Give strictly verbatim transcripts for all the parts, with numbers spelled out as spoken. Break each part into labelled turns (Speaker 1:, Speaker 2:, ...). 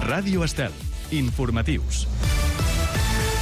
Speaker 1: Ràdio Estel. Informatius.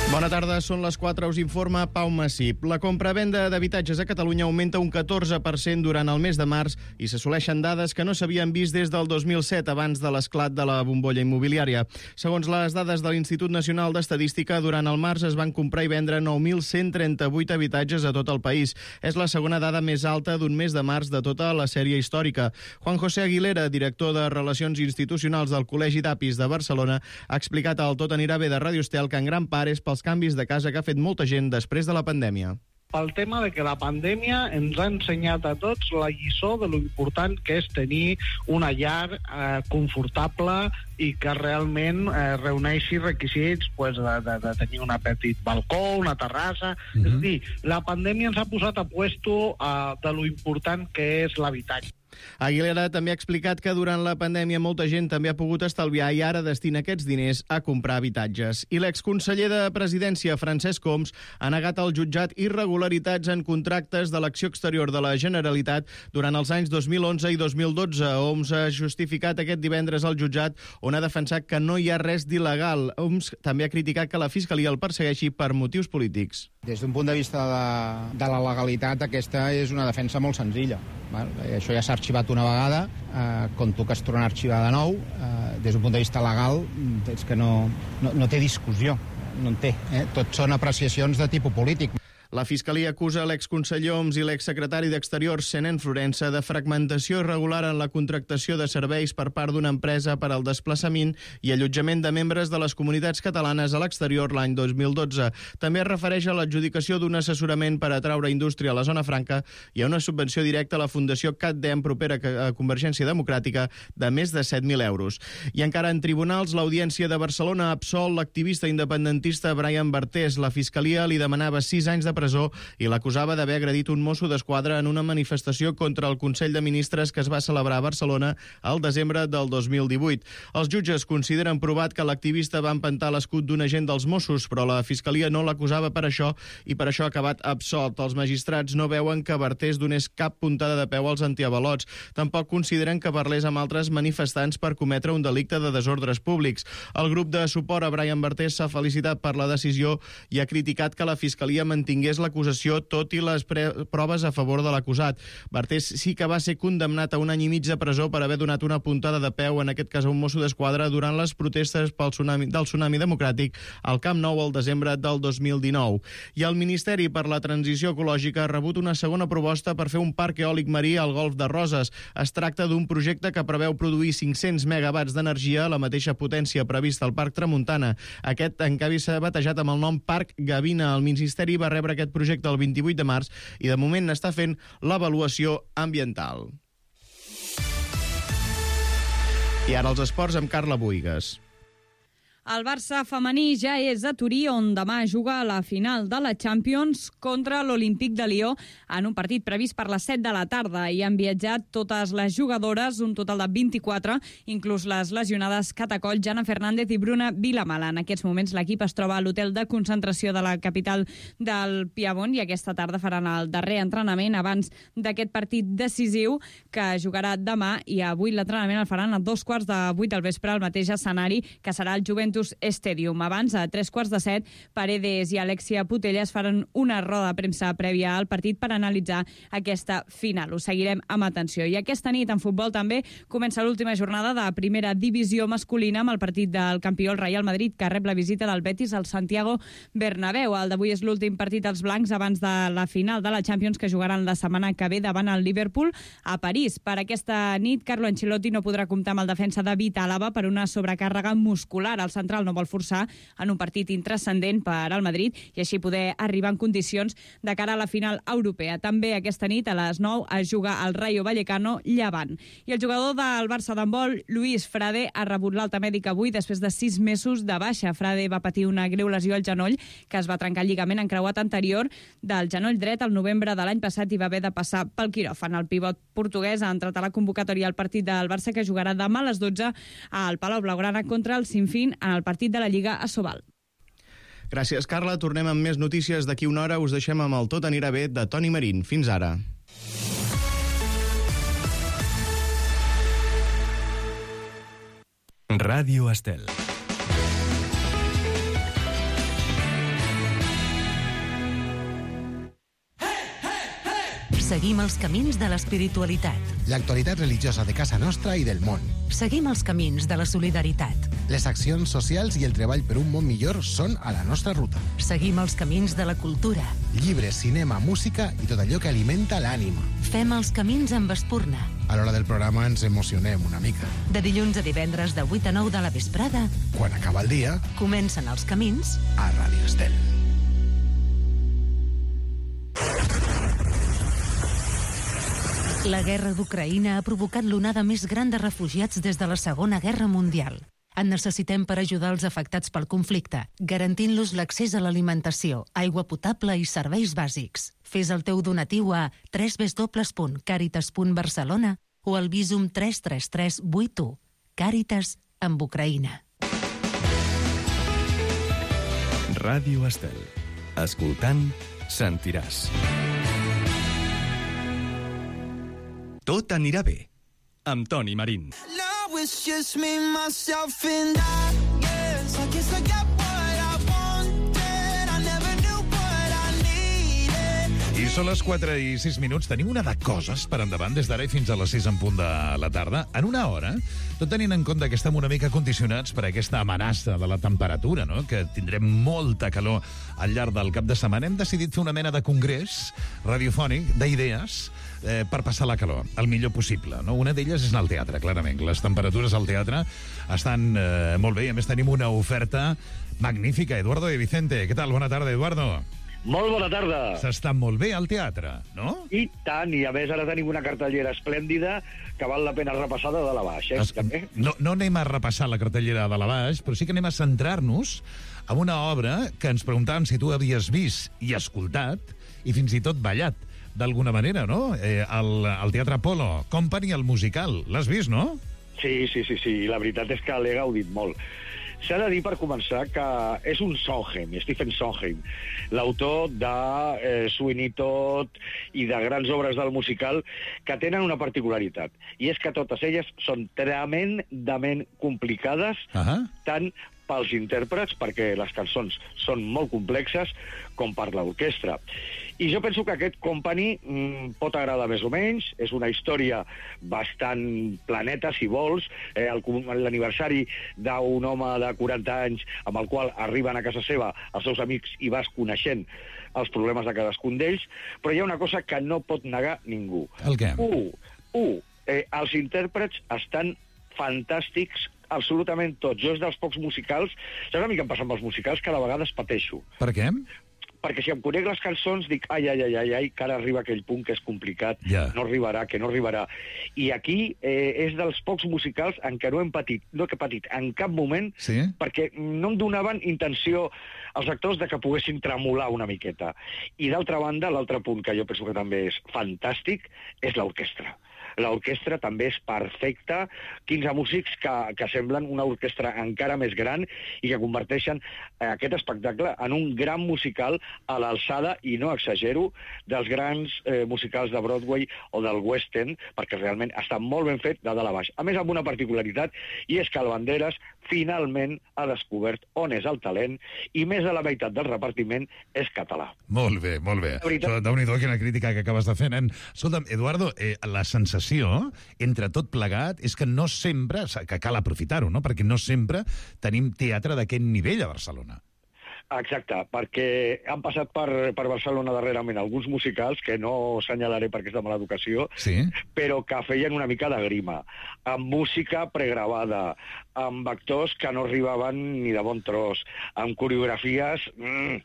Speaker 1: Bona tarda, són les quatre, us informa Pau Massip. La compra-venda d'habitatges a Catalunya augmenta un catorze per cent durant el mes de març i s'assoleixen dades que no s'havien vist des del dos mil set, abans de l'esclat de la bombolla immobiliària. Segons les dades de l'Institut Nacional d'Estadística, durant el març es van comprar i vendre nou mil cent trenta-vuit habitatges a tot el país. És la segona dada més alta d'un mes de març de tota la sèrie històrica. Juan José Aguilera, director de Relacions Institucionals del Col·legi d'Apis de Barcelona, ha explicat al Tot anirà bé de Ràdio Estel que en gran part és pels canvis de casa que ha fet molta gent després de la pandèmia.
Speaker 2: Pel tema de que la pandèmia ens ha ensenyat a tots la lliçó de lo important que és tenir una llar eh, confortable i que realment eh, reuneixi requisits pues, de, de, de tenir un petit balcó, una terrassa... Mm-hmm. És a dir, la pandèmia ens ha posat a puesto eh, de lo important que és l'habitatge.
Speaker 1: Aguilera també ha explicat que durant la pandèmia molta gent també ha pogut estalviar i ara destina aquests diners a comprar habitatges. I l'exconseller de Presidència, Francesc Homs, ha negat al jutjat irregularitats en contractes de l'acció exterior de la Generalitat durant els anys dos mil onze i dos mil dotze. Homs ha justificat aquest divendres al jutjat, on ha defensat que no hi ha res d'il·legal. Homs també ha criticat que la Fiscalia el persegueixi per motius polítics.
Speaker 3: Des d'un punt de vista de, de la legalitat, aquesta és una defensa molt senzilla. Val? Això ja s'ha arxivat una vegada, eh, conto que es tornarà a arxivar de nou. Eh, des d'un punt de vista legal, és que no, no, no té discussió, no en té. Eh? Tot són apreciacions de tipus polític.
Speaker 1: La Fiscalia acusa l'exconseller Homs i l'exsecretari d'Exteriors, Senén Florença, de fragmentació irregular en la contractació de serveis per part d'una empresa per al desplaçament i allotjament de membres de les comunitats catalanes a l'exterior l'any dos mil dotze. També es refereix a l'adjudicació d'un assessorament per atraure indústria a la zona franca i a una subvenció directa a la Fundació CatDem, propera a Convergència Democràtica, de més de set mil euros. I encara en tribunals, l'Audiència de Barcelona ha absolt l'activista independentista Brian Bartés. La Fiscalia li demanava sis anys de presó i l'acusava d'haver agredit un mosso d'esquadra en una manifestació contra el Consell de Ministres que es va celebrar a Barcelona al desembre del dos mil divuit. Els jutges consideren provat que l'activista va empentar l'escut d'un agent dels Mossos, però la Fiscalia no l'acusava per això i per això ha acabat absolt. Els magistrats no veuen que Bartés donés cap puntada de peu als antiavalots. Tampoc consideren que parlés amb altres manifestants per cometre un delicte de desordres públics. El grup de suport a Brian Bartés s'ha felicitat per la decisió i ha criticat que la Fiscalia mantingués l'acusació tot i les proves a favor de l'acusat. Bartés sí que va ser condemnat a un any i mig de presó per haver donat una puntada de peu, en aquest cas a un mosso d'esquadra, durant les protestes pel tsunami, del tsunami democràtic al Camp Nou al desembre del dos mil dinou. I el Ministeri per la Transició Ecològica ha rebut una segona proposta per fer un parc eòlic marí al Golf de Roses. Es tracta d'un projecte que preveu produir cinc-cents megawatts d'energia, la mateixa potència prevista al Parc Tramuntana. Aquest encara s'ha batejat amb el nom Parc Gavina. El Ministeri va rebre aquest projecte el vint-i-vuit de març i de moment n'està fent l'avaluació ambiental. I ara els esports amb Carla Buïgas.
Speaker 4: El Barça femení ja és a Turí, on demà juga a la final de la Champions contra l'Olímpic de Lió en un partit previst per les set de la tarda. Hi han viatjat totes les jugadores, un total de vint-i-quatre, inclús les lesionades Catacoll, Jana Fernández i Bruna Vilamala. En aquests moments l'equip es troba a l'hotel de concentració de la capital del Piemont i aquesta tarda faran el darrer entrenament abans d'aquest partit decisiu que jugarà demà, i avui l'entrenament el faran a dos quarts de vuit del vespre al mateix escenari que serà el Juventus Stadium. Abans, a tres quarts de set, Paredes i Alexia Putellas faran una roda de premsa prèvia al partit per analitzar aquesta final. Ho seguirem amb atenció. I aquesta nit, en futbol també, comença l'última jornada de primera divisió masculina amb el partit del campió, el Real Madrid, que rep la visita del Betis al Santiago Bernabéu. El d'avui és l'últim partit dels blancs abans de la final de la Champions, que jugaran la setmana que ve davant el Liverpool a París. Per aquesta nit, Carlo Ancelotti no podrà comptar amb el defensa David Àlava per una sobrecàrrega muscular. El central no vol forçar en un partit intrascendent per al Madrid i així poder arribar en condicions de cara a la final europea. També aquesta nit a les nou es juga el Rayo Vallecano Llevant. I el jugador del Barça d'handbol, Luis Frade, ha rebut l'alta mèdica avui després de sis mesos de baixa. Frade va patir una greu lesió al genoll que es va trencar el lligament encreuat anterior del genoll dret al novembre de l'any passat i va haver de passar pel quiròfan. El pivot portuguès ha entrat a la convocatòria al partit del Barça, que jugarà demà a les dotze al Palau Blaugrana contra el Sinfín en el partit de la Lliga a Sobal.
Speaker 1: Gràcies, Carla. Tornem amb més notícies d'aquí una hora. Us deixem amb el Tot anirà bé de Toni Marín. Fins ara.
Speaker 5: Ràdio Estel.
Speaker 6: Seguim els camins de l'espiritualitat.
Speaker 7: L'actualitat religiosa de casa nostra i del món.
Speaker 6: Seguim els camins de la solidaritat.
Speaker 7: Les accions socials i el treball per un món millor són a la nostra ruta.
Speaker 6: Seguim els camins de la cultura.
Speaker 7: Llibres, cinema, música i tot allò que alimenta l'ànima.
Speaker 6: Fem els camins amb espurna.
Speaker 7: A l'hora del programa ens emocionem una mica.
Speaker 6: De dilluns a divendres de vuit a nou de la vesprada,
Speaker 7: Quan acaba el dia,
Speaker 6: comencen els camins
Speaker 7: a Ràdio Estel.
Speaker 6: La guerra d'Ucraïna ha provocat l'onada més gran de refugiats des de la Segona Guerra Mundial. En necessitem per ajudar els afectats pel conflicte, garantint-los l'accés a l'alimentació, aigua potable i serveis bàsics. Fes el teu donatiu a w w w punt caritas punt barcelona o al Visum tres tres tres vuit u. Càritas amb Ucraïna.
Speaker 5: Ràdio Estel. Escoltant, sentiràs. Tot anirà bé, amb Toni Marín.
Speaker 8: Now it's just me, myself and I, yes, I guess I got what I wanted, I never knew what I needed.
Speaker 9: I són les quatre i sis minuts. Tenim una de coses per endavant des d'ara i fins a les sis en punt de la tarda. En una hora, tot tenint en compte que estem una mica condicionats per aquesta amenaça de la temperatura, no? Que tindrem molta calor al llarg del cap de setmana, hem decidit fer una mena de congrés radiofònic d'idees eh, per passar la calor el millor possible, no? Una d'elles és anar al teatre, clarament. Les temperatures al teatre estan eh, molt bé i a més tenim una oferta magnífica. Eduardo de Vicente, què tal? Bona tarda, Eduardo.
Speaker 10: Molt bona tarda.
Speaker 9: S'està molt bé al teatre, no?
Speaker 10: I tant, i a més ara tenim una cartellera esplèndida que val la pena repassar de dalt a baix, eh?
Speaker 9: Es, no, no anem a repassar la cartellera de la baix, però sí que anem a centrar-nos en una obra que ens preguntàvem si tu havies vist i escoltat i fins i tot ballat d'alguna manera, no? Eh, el, el Teatre Apolo Company, el musical. L'has vist, no?
Speaker 10: Sí, sí, sí, sí. La veritat és que l'he gaudit molt. S'ha de dir, per començar, que és un Sondheim, Stephen Sondheim, l'autor de eh, Sweeney Todd i de grans obres del musical, que tenen una particularitat, i és que totes elles són tremendament complicades, uh-huh. tant pels intèrprets, perquè les cançons són molt complexes, com per l'orquestra. I jo penso que aquest Company mm, pot agradar més o menys, és una història bastant planeta, si vols, eh, l'aniversari d'un home de quaranta anys amb el qual arriben a casa seva els seus amics i vas coneixent els problemes de cadascun d'ells, però hi ha una cosa que no pot negar ningú.
Speaker 9: El què?
Speaker 10: U, u eh, els intèrprets estan fantàstics, absolutament tots. Jo és dels pocs musicals, saps a mi què em passa amb els musicals? Que a vegades pateixo.
Speaker 9: Per què?
Speaker 10: Perquè si em conec les cançons dic ai, ai, ai, ai, ai, que ara arriba aquell punt que és complicat,
Speaker 9: yeah.
Speaker 10: no arribarà, que no arribarà. I aquí eh, és dels pocs musicals en què no hem patit, no he patit en cap moment,
Speaker 9: sí? Perquè
Speaker 10: no em donaven intenció als actors de que poguessin tremolar una miqueta. I d'altra banda, l'altre punt que jo penso que també és fantàstic és l'orquestra. L'orquestra també és perfecta, quinze músics que, que semblen una orquestra encara més gran i que converteixen aquest espectacle en un gran musical a l'alçada, i no exagero, dels grans eh, musicals de Broadway o del West End, perquè realment està molt ben fet de dalt a baix. A més, amb una particularitat, i és que el Banderas finalment ha descobert on és el talent i més de la meitat del repartiment és català.
Speaker 9: Molt bé, molt bé. Déu-n'hi-do, quina crítica que acabes de fer, nen. Escolta'm, Eduardo, eh, la sensació entre tot plegat és que no sempre, que cal aprofitar-ho, no? Perquè no sempre tenim teatre d'aquest nivell a Barcelona.
Speaker 10: Exacte, perquè han passat per, per Barcelona darrerament alguns musicals, que no assenyalaré perquè és de mala educació,
Speaker 9: sí? Però
Speaker 10: que feien una mica de grima, amb música pregravada, amb actors que no arribaven ni de bon tros, amb coreografies... Mm,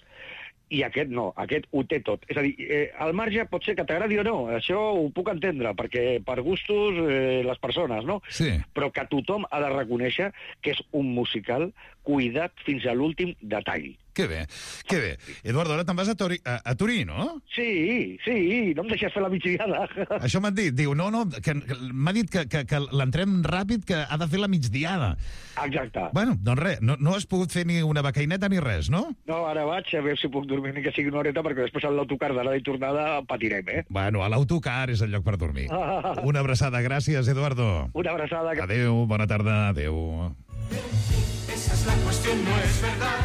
Speaker 10: i aquest no, aquest ho té tot. És a dir, eh, al marge pot ser que t'agradi o no, això ho puc entendre, perquè per gustos eh, les persones, no?
Speaker 9: Sí.
Speaker 10: Però que tothom ha de reconèixer que és un musical cuidat fins a l'últim detall.
Speaker 9: Que bé, que bé. Eduardo, ara te'n vas a, Tori, a, a Turí, no?
Speaker 10: Sí, sí, no em deixes fer la migdiada.
Speaker 9: Això m'han dit, diu, no, no, que, que m'ha dit que, que, que l'entrem ràpid, que ha de fer la migdiada.
Speaker 10: Exacte.
Speaker 9: Bueno, doncs res, no, no has pogut fer ni una becaineta ni res, no?
Speaker 10: No, ara vaig a veure si puc dormir ni que sigui una horeta, perquè després a l'autocar d'anada i tornada patirem, eh?
Speaker 9: Bueno, a l'autocar és el lloc per dormir. Una abraçada, gràcies, Eduardo.
Speaker 10: Una abraçada.
Speaker 9: Adéu, bona tarda, adéu.
Speaker 11: Esa es la cuestión, no es verdad.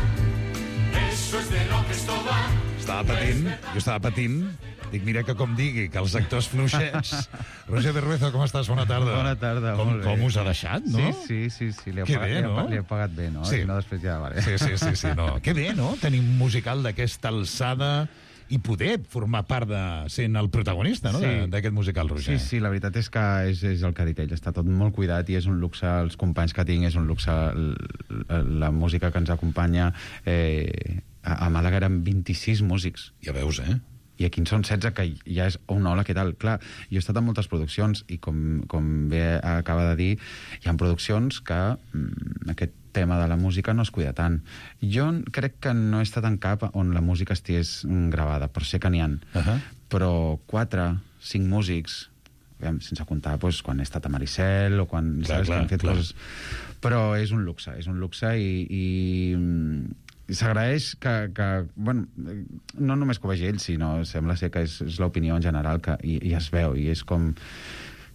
Speaker 11: Eso es de lo que esto va.
Speaker 9: Estava patint, jo estava patint. Dic, mira que com digui, que els actors fluixets... Roger Berruezo, com estàs? Bona tarda.
Speaker 12: Bona tarda,
Speaker 9: com,
Speaker 12: molt bé.
Speaker 9: Com us ha deixat, no?
Speaker 12: Sí, sí, sí, sí li, he
Speaker 9: Que
Speaker 12: pagat,
Speaker 9: bé,
Speaker 12: li, he,
Speaker 9: no?
Speaker 12: li he pagat bé, no?
Speaker 9: Sí.
Speaker 12: I no, després ja, vale.
Speaker 9: Sí, sí, sí, sí, no. Que bé, no? Tenim un musical d'aquesta alçada i poder formar part de sent el protagonista, no?
Speaker 12: Sí.
Speaker 9: D'aquest musical, Roger.
Speaker 12: Sí, sí, la veritat és que és, és el que ha dit ell. Està tot molt cuidat i és un luxe, els companys que tinc, és un luxe, la, la música que ens acompanya. Eh, a, a Màlaga eren vint-i-sis músics.
Speaker 9: Ja veus, eh?
Speaker 12: I aquí en són setze, que ja és un hola, què tal? Clar, jo he estat en moltes produccions i com, com bé acaba de dir, hi ha produccions que mm, aquest tema de la música no es cuida tant. Jo crec que no he estat en cap on la música estigués gravada, però sé que n'hi ha. Uh -huh. Però quatre, cinc músics, sense comptar doncs, quan he estat a Maricel o quan,
Speaker 9: clar,
Speaker 12: saps,
Speaker 9: clar,
Speaker 12: que han fet
Speaker 9: clar.
Speaker 12: coses... Però és un luxe, és un luxe i... i i s'agraeix que, que, bueno, no només que ho vegi ell, sinó sembla ser que és, és l'opinió en general que, i, i es veu, i és com,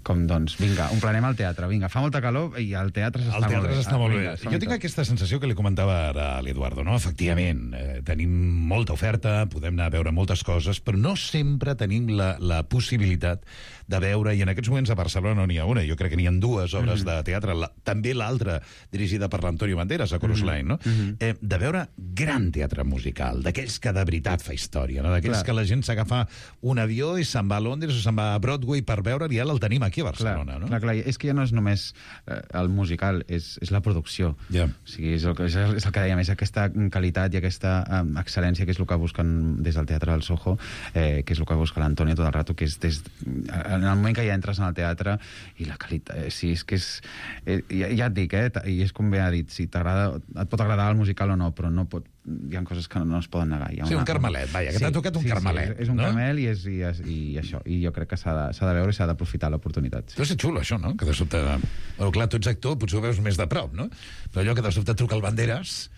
Speaker 12: com doncs, vinga, omplanem el teatre, vinga, fa molta calor i el teatre s'està
Speaker 9: El teatre
Speaker 12: molt bé.
Speaker 9: s'està molt bé.
Speaker 12: Vinga,
Speaker 9: Jo tinc aquesta sensació que li comentava ara a l'Eduardo, no? Efectivament, eh, tenim molta oferta, podem anar a veure moltes coses, però no sempre tenim la, la possibilitat de veure, i en aquests moments a Barcelona no n'hi ha una, jo crec que n'hi ha dues obres mm -hmm. de teatre, la, també l'altra dirigida per l'Antonio Banderas, a Chorus Line, no? Mm -hmm. eh, de veure gran teatre musical, d'aquells que de veritat fa història, no? D'aquells que la gent s'agafa un avió i se'n va a Londres o se'n va a Broadway per veure, i ara el tenim aquí a Barcelona,
Speaker 12: clar,
Speaker 9: no?
Speaker 12: Clar, clar, és que ja no és només eh, el musical, és, és la producció.
Speaker 9: Yeah.
Speaker 12: O sigui, és el, que, és el que dèiem, és aquesta qualitat i aquesta eh, excel·lència que és el que busquen des del Teatre del Soho, eh, que és el que busca l'Antonio tot el rato, que és des, en el moment que ja entres en el teatre i la qualitat, eh, sí, és que és eh, ja, ja et dic, eh, i és com bé ha dit, si t'agrada, et pot agradar el musical o no, però no pot, hi ha coses que no, no es poden negar. Hi ha
Speaker 9: sí,
Speaker 12: una,
Speaker 9: un carmelet, vaja, que sí, t'ha tocat un
Speaker 12: sí,
Speaker 9: carmelet.
Speaker 12: Sí, és, és un
Speaker 9: no?
Speaker 12: carmel i, és, i, és, i això, i jo crec que s'ha de, s'ha de veure i s'ha d'aprofitar l'oportunitat.
Speaker 9: Sí. Deu ser xulo, això, no? Que de sobte... Bueno, clar, tu ets actor, potser ho veus més de prop, no? Però allò que de sobte truca el Banderas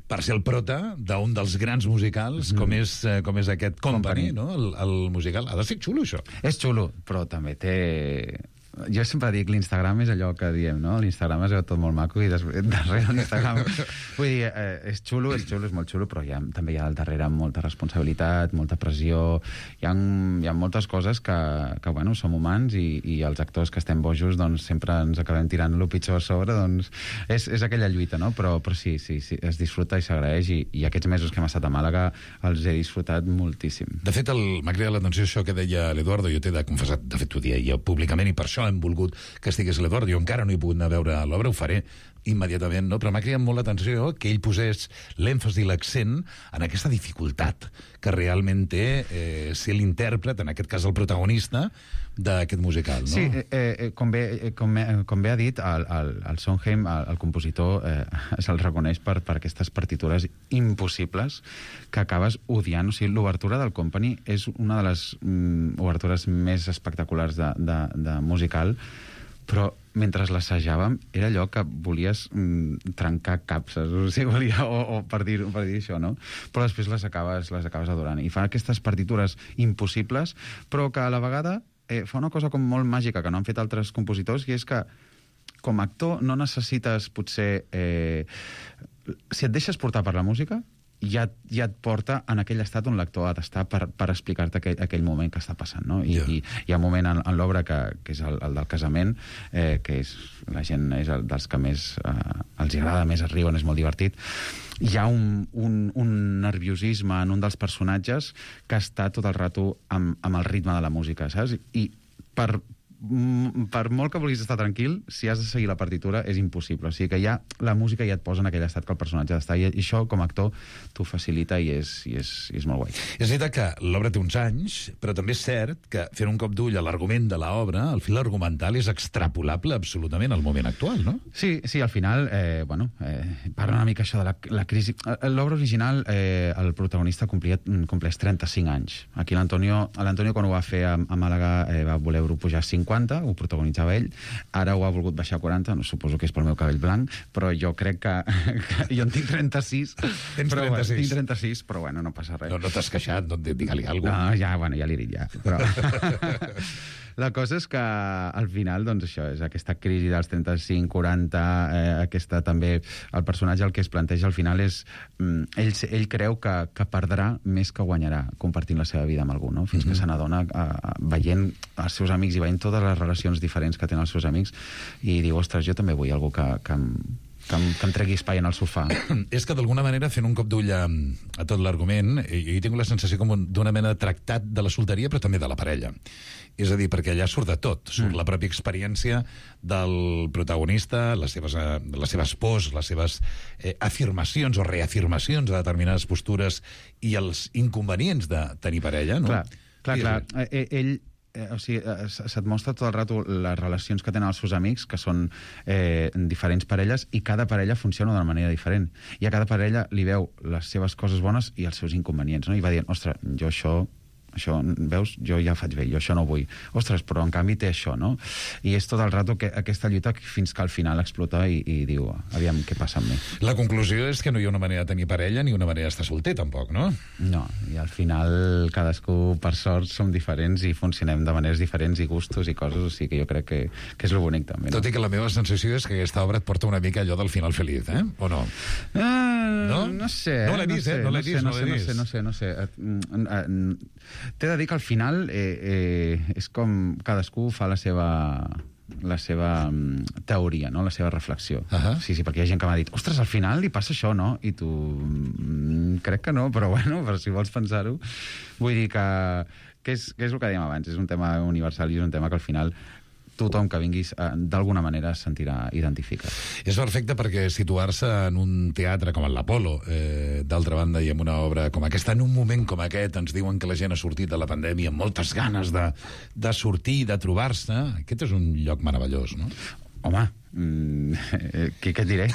Speaker 9: per ser el prota d'un dels grans musicals, mm. com, és, com és aquest Company, Company. No? El, el musical. Ha de ser xulo, això.
Speaker 12: És xulo, però també té... Jo sempre dic, l'Instagram és allò que diem, no? L'Instagram es veu tot molt maco i després, darrere l'Instagram... Vull dir, eh, és xulo, és xulo, és molt xulo, però hi ha, també hi ha al darrere molta responsabilitat, molta pressió... Hi ha, hi ha moltes coses que, que bueno, som humans i, i els actors que estem bojos doncs sempre ens acabem tirant el pitjor a sobre, doncs és, és aquella lluita, no? Però, però sí, sí, sí, es disfruta i s'agraeix i, i aquests mesos que hem estat a Màlaga els he disfrutat moltíssim.
Speaker 9: De fet, m'ha cridat l'atenció això que deia l'Eduardo, jo t'he de confessar, de fet ho dia jo públicament, i per això hem volgut que estigués l'Eduardo. Jo encara no he pogut anar a veure l'obra, ho faré immediatament, no? Però m'ha cridat molt l'atenció que ell posés l'èmfasi i l'accent en aquesta dificultat que realment té eh, ser l'intèrpret, en aquest cas el protagonista, d'aquest musical, no?
Speaker 12: Sí, eh, eh, com, bé, com, bé, com bé ha dit, el, el, el Sondheim, el, el compositor, eh, se'l reconeix per, per aquestes partitures impossibles que acabes odiant. O sigui, l'obertura del Company és una de les mm, obertures més espectaculars de, de, de musical, però mentre l'assajàvem era allò que volies mm, trencar capses, o sigui, volia, o, o per, dir, per dir això, no? Però després les acabes, les acabes adorant. I fa aquestes partitures impossibles, però que a la vegada eh, fa una cosa com molt màgica que no han fet altres compositors, i és que com a actor no necessites potser... Eh, si et deixes portar per la música, ja, ja et porta en aquell estat on l'actor ha d'estar per, per explicar-te aquell, aquell moment que està passant, no? I, yeah. i hi ha un moment en, en l'obra que, que és el, el del casament, eh, que és, la gent és el dels que més eh, els agrada, més es riuen, és molt divertit. Hi ha un, un, un nerviosisme en un dels personatges que està tot el rato amb, amb el ritme de la música, saps? I per... per molt que vulguis estar tranquil, si has de seguir la partitura és impossible. O sigui que ja la música ja et posa en aquell estat que el personatge ha d'estar, i això com a actor t'ho facilita i és, i és, i és molt guai.
Speaker 9: És veritat que l'obra té uns anys, però també és cert que fent un cop d'ull a l'argument de l'obra, el fil argumental és extrapolable absolutament al moment actual, no?
Speaker 12: Sí, sí, al final, eh, bueno, eh, parla una mica això de la, la crisi. L'obra original, eh, el protagonista complia, compleix trenta-cinc anys. Aquí l'Antonio, l'Antonio quan ho va fer a, a Màlaga eh, va voler-ho pujar a cinquanta, ho protagonitzava ell, ara ho ha volgut baixar a quaranta, no, suposo que és pel meu cabell blanc, però jo crec que, que jo en tinc trenta-sis.
Speaker 9: Tens
Speaker 12: però,
Speaker 9: trenta-sis?
Speaker 12: Bueno, tinc trenta-sis, però bueno, no passa res.
Speaker 9: No, no t'has queixat, no, digue-li alguna cosa.
Speaker 12: No, ja, bueno, ja li he dit, ja. Però... la cosa és que al final, doncs això, és aquesta crisi dels trenta-cinc quaranta, eh, aquesta també, el personatge el que es planteja al final és, mm, ell, ell creu que, que perdrà més que guanyarà compartint la seva vida amb algú, no? Fins mm-hmm. que se n'adona eh, veient els seus amics i veient totes les relacions diferents que tenen els seus amics i diu, ostres, jo també vull algú que, que, em, que, em, que em tregui espai en el sofà.
Speaker 9: És que d'alguna manera, fent un cop d'ull a, a tot l'argument, jo hi tinc la sensació com d'una mena de tractat de la solteria, però també de la parella. És a dir, perquè allà surt de tot. Surt mm. la pròpia experiència del protagonista, les seves, eh, les seves pors, les seves eh, afirmacions o reafirmacions de determinades postures i els inconvenients de tenir parella, no?
Speaker 12: Clar, clar, clar. Eh, ell... Eh, o sigui, eh, se't mostra tot el rato les relacions que tenen els seus amics, que són eh, diferents parelles, i cada parella funciona d'una manera diferent. I a cada parella li veu les seves coses bones i els seus inconvenients, no? I va dient, ostres, jo això... això, veus, jo ja faig bé, jo això no vull. Ostres, però en canvi té això, no? I és tot el rato que aquesta lluita fins que al final explota i, i diu, aviam, què passa amb mi?
Speaker 9: La conclusió és que no hi ha una manera de tenir parella ni una manera d'estar solter, tampoc, no?
Speaker 12: No, i al final cadascú, per sort, som diferents i funcionem de maneres diferents i gustos i coses, o sigui que jo crec que, que és lo bonic, també. No?
Speaker 9: Tot i que la meva sensació és que aquesta obra et porta una mica allò del final feliç, eh? O no?
Speaker 12: Uh, no? No sé.
Speaker 9: No l'he vist, eh? No l'he vist, no l'he vist.
Speaker 12: No sé, no sé, no sé. T'he de dir que al final eh, eh, és com cadascú fa la seva la seva um, teoria, no? La seva reflexió. Uh -huh. Sí, sí, perquè hi ha gent que m'ha dit, ostres, al final li passa això, no? I tu, mm, crec que no, però bueno, però si vols pensar-ho, vull dir que, que, és, que és el que dèiem abans, és un tema universal i és un tema que al final tothom que vinguis eh, d'alguna manera es sentirà identificat.
Speaker 9: És perfecte perquè situar-se en un teatre com l'Apolo, eh, d'altra banda, i en una obra com aquesta, en un moment com aquest, ens diuen que la gent ha sortit de la pandèmia amb moltes ganes de, de sortir, de trobar-se. Aquest és un lloc meravellós, no?
Speaker 12: Home, mm, eh, què, què et diré?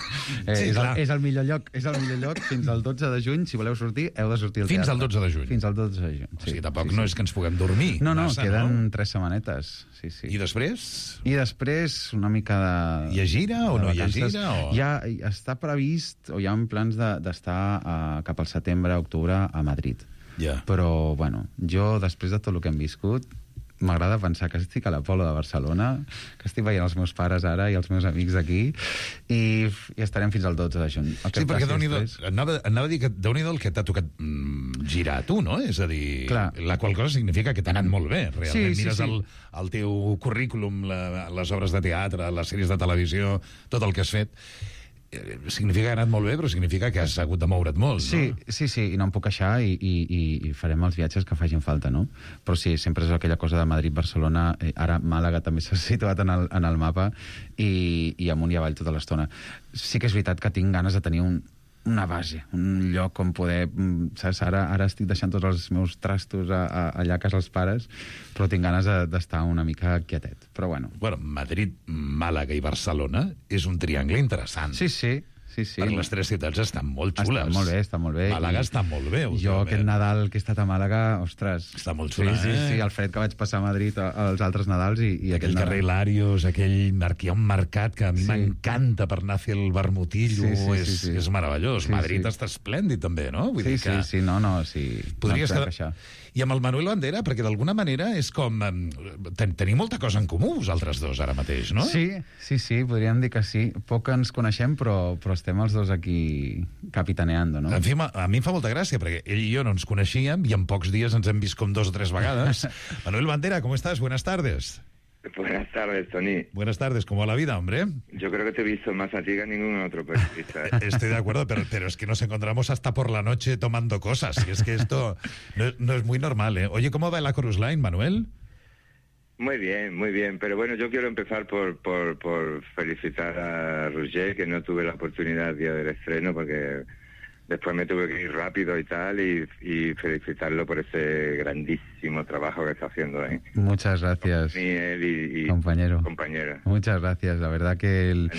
Speaker 12: Eh, sí, és, el, és el millor lloc, és el millor lloc fins al dotze de juny. Si voleu sortir, heu de sortir al
Speaker 9: teatre. Fins al dotze de juny?
Speaker 12: Fins al dotze de juny, sí.
Speaker 9: O sigui, tampoc
Speaker 12: sí,
Speaker 9: no
Speaker 12: sí.
Speaker 9: és que ens puguem dormir.
Speaker 12: No, no,
Speaker 9: massa,
Speaker 12: queden
Speaker 9: no?
Speaker 12: tres setmanetes. Sí, sí.
Speaker 9: I després?
Speaker 12: I després una mica de...
Speaker 9: Hi ha gira o no hi ha gira? O...
Speaker 12: Hi ha, està previst, o hi ha plans d'estar de, uh, cap al setembre, octubre, a Madrid.
Speaker 9: Yeah.
Speaker 12: Però, bueno, jo, després de tot el que hem viscut, m'agrada pensar que estic a l'Apolo de Barcelona, que estic veient els meus pares ara i els meus amics d'aquí, i, i estarem fins al dotze de juny.
Speaker 9: Sí, perquè Déu-n'hi-do, anava, anava a dir que Déu-n'hi-do el que t'ha tocat mm, girar a tu, no? És a dir, Clar. la qual cosa significa que t'ha anat molt bé, realment. Sí, sí, Mires sí. El, el teu currículum, la, les obres de teatre, les sèries de televisió, tot el que has fet. Significa que ha anat molt bé, però significa que has hagut de moure't molt,
Speaker 12: sí,
Speaker 9: no?
Speaker 12: Sí, sí, i no em puc queixar i, i, i farem els viatges que facin falta, no? Però sí, sempre és aquella cosa de Madrid-Barcelona, eh, ara Màlaga també s'ha situat en el, en el mapa i, i amunt i avall tota l'estona. Sí que és veritat que tinc ganes de tenir un, una base, un lloc on poder... Saps? Ara, ara estic deixant tots els meus trastos a, a, allà a casa els pares, però tinc ganes d'estar de, una mica quietet. Però bueno.
Speaker 9: Bueno, Madrid, Màlaga i Barcelona és un triangle interessant.
Speaker 12: Sí, sí. Sí, sí.
Speaker 9: Perquè les tres ciutats estan molt xules.
Speaker 12: Està molt bé, està molt bé.
Speaker 9: Màlaga I està molt bé.
Speaker 12: Jo aquest Nadal que he estat a Màlaga, ostres...
Speaker 9: Està molt xula,
Speaker 12: sí, sí,
Speaker 9: eh?
Speaker 12: Sí, el fred que vaig passar a Madrid als altres Nadals i, i
Speaker 9: aquell
Speaker 12: aquest
Speaker 9: carrer Larios, aquell... Hi ha un mercat que a mi sí. m'encanta per anar a fer el vermutillo. Sí, sí, és, sí, sí. és meravellós. Sí, Madrid sí. està esplèndid, també, no? Vull
Speaker 12: sí,
Speaker 9: dir que...
Speaker 12: sí, sí, no, no, sí.
Speaker 9: Podries
Speaker 12: no
Speaker 9: quedar... I amb el Manuel Bandera, perquè d'alguna manera és com... Ten Teniu molta cosa en comú, vosaltres dos, ara mateix, no?
Speaker 12: Sí, sí, sí, podríem dir que sí. Poc ens coneixem, però, però estem els dos aquí capitaneando, no?
Speaker 9: En fi, a mi em fa molta gràcia, perquè ell i jo no ens coneixíem i en pocs dies ens hem vist com dos o tres vegades. Manuel Bandera, ¿cómo estás? Buenas tardes.
Speaker 13: Buenas tardes, Tony.
Speaker 9: Buenas tardes, ¿cómo va la vida, hombre?
Speaker 13: Yo creo que te he visto más a ti que a ningún otro periodista.
Speaker 9: Estoy de acuerdo, pero, pero es que nos encontramos hasta por la noche tomando cosas, y es que esto no, no es muy normal, ¿eh? Oye, ¿cómo va la Cruise Line, Manuel?
Speaker 13: Muy bien, muy bien, pero bueno, yo quiero empezar por, por, por felicitar a Roger, que no tuve la oportunidad el día del estreno, porque... Después me tuve que ir rápido y tal, y, y felicitarlo por ese grandísimo trabajo que está haciendo, ¿eh?
Speaker 12: Muchas gracias,
Speaker 13: él y, y
Speaker 12: compañero.
Speaker 13: compañera.
Speaker 12: Muchas gracias, la verdad que el,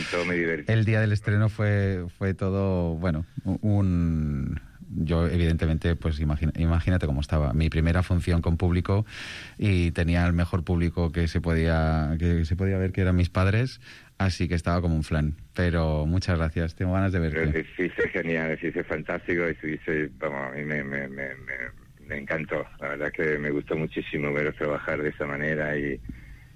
Speaker 12: el día del estreno fue, fue todo, bueno, un... Yo, evidentemente, pues imagina, imagínate cómo estaba. Mi primera función con público y tenía el mejor público que se podía que se podía ver, que eran mis padres, así que estaba como un flan. Pero muchas gracias, tengo ganas de verte.
Speaker 13: Lo hiciste genial, lo hiciste fantástico, y hiciste, vamos, a mí me, me, me, me, me encantó. La verdad que me gustó muchísimo veros trabajar de esa manera y,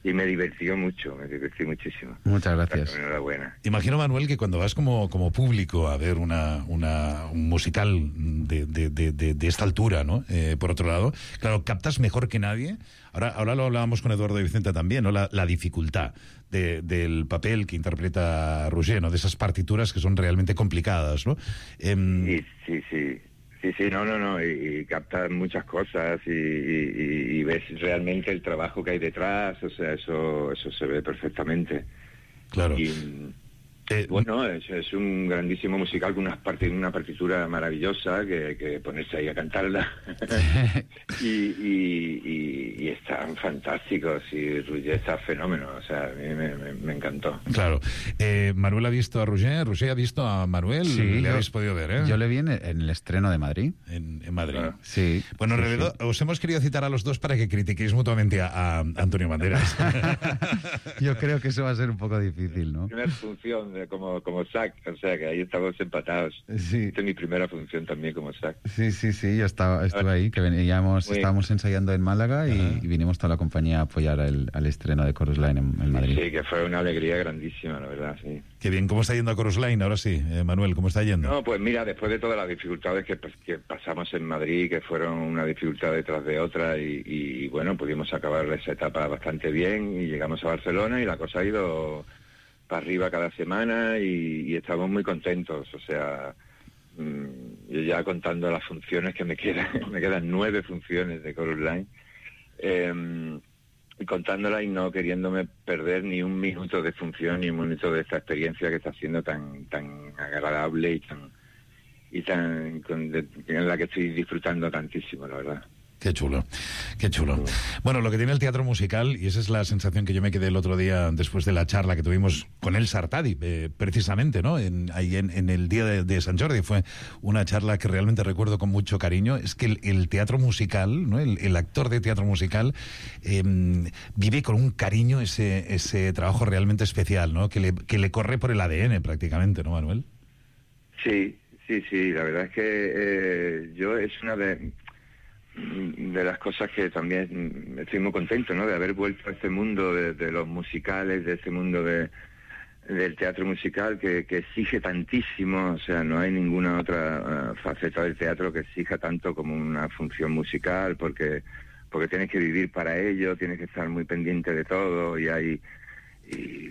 Speaker 13: y me divirtió mucho, me divertí muchísimo.
Speaker 12: Muchas gracias.
Speaker 13: Enhorabuena.
Speaker 9: Imagino, Manuel, que cuando vas como, como público a ver una, una, un musical de, de, de, de, de esta altura, ¿no? Eh, por otro lado, claro, captas mejor que nadie. Ahora, ahora lo hablábamos con Eduardo y Vicente también, ¿no? La, la dificultad de, del papel que interpreta Roger, ¿no? De esas partituras que son realmente complicadas, ¿no? Eh,
Speaker 13: sí, sí, sí. Sí, sí, no, no, no, y, y captas muchas cosas y, y, y ves realmente el trabajo que hay detrás, o sea, eso eso se ve perfectamente.
Speaker 9: Claro.
Speaker 13: Y, eh, bueno, es, es un grandísimo musical con unas parti- una partitura maravillosa que, que ponerse ahí a cantarla. y, y, y, y están fantásticos y Roger está fenómeno, o sea, a mí me, me, me encantó.
Speaker 9: Claro. Eh, Manuel ha visto a Roger, Roger ha visto a Manuel,
Speaker 12: Sí,
Speaker 9: le
Speaker 12: yo-
Speaker 9: habéis podido ver, ¿eh?
Speaker 12: Yo le vi en el, en el estreno de Madrid.
Speaker 9: En, en Madrid.
Speaker 13: Claro.
Speaker 12: Sí.
Speaker 9: Bueno, en
Speaker 12: sí,
Speaker 9: realidad
Speaker 12: sí.
Speaker 9: os hemos querido citar a los dos para que critiquéis mutuamente a, a Antonio Banderas.
Speaker 12: Yo creo que eso va a ser un poco difícil, ¿no?
Speaker 13: Primera función de, como, como SAC, o sea que ahí estamos empatados.
Speaker 12: Sí.
Speaker 13: Esta es mi primera función también como SAC.
Speaker 12: Sí, sí, sí, yo estaba, estuve ahí, que veníamos,
Speaker 13: Muy
Speaker 12: estábamos ensayando en Málaga y, y vinimos toda la compañía a apoyar el, al estreno de Chorus Line en, en Madrid.
Speaker 13: Sí, que fue una alegría grandísima, la verdad, sí.
Speaker 9: Qué bien, ¿cómo está yendo a Chorus Line? Ahora sí, eh, Manuel, ¿cómo está yendo?
Speaker 13: No, pues mira, después de todas las dificultades que, pues, que pasamos en Madrid, que fueron una dificultad detrás de otra, y, y bueno, pudimos acabar esa etapa bastante bien, y llegamos a Barcelona y la cosa ha ido para arriba cada semana y, y estamos muy contentos, o sea, mmm, yo ya contando las funciones que me quedan, me quedan nueve funciones de Chorus Line, eh, y contándola y no queriéndome perder ni un minuto de función ni un minuto de esta experiencia que está siendo tan tan agradable y tan y tan con, de, en la que estoy disfrutando tantísimo, la verdad.
Speaker 9: Qué chulo, qué chulo. Bueno, lo que tiene el teatro musical, y esa es la sensación que yo me quedé el otro día después de la charla que tuvimos con el Sartadi, eh, precisamente, ¿no? En, ahí en, en el día de, de Sant Jordi, fue una charla que realmente recuerdo con mucho cariño. Es que el, el teatro musical, ¿no? El, el actor de teatro musical eh, vive con un cariño ese, ese trabajo realmente especial, ¿no? Que le, que le corre por el A D N prácticamente, ¿no, Manuel?
Speaker 13: Sí, sí, sí, la verdad es que eh, yo es una de... de las cosas que también estoy muy contento, ¿no? De haber vuelto a este mundo de, de los musicales, de este mundo de, del teatro musical que, que exige tantísimo, o sea, no hay ninguna otra uh, faceta del teatro que exija tanto como una función musical, porque porque tienes que vivir para ello, tienes que estar muy pendiente de todo y hay y,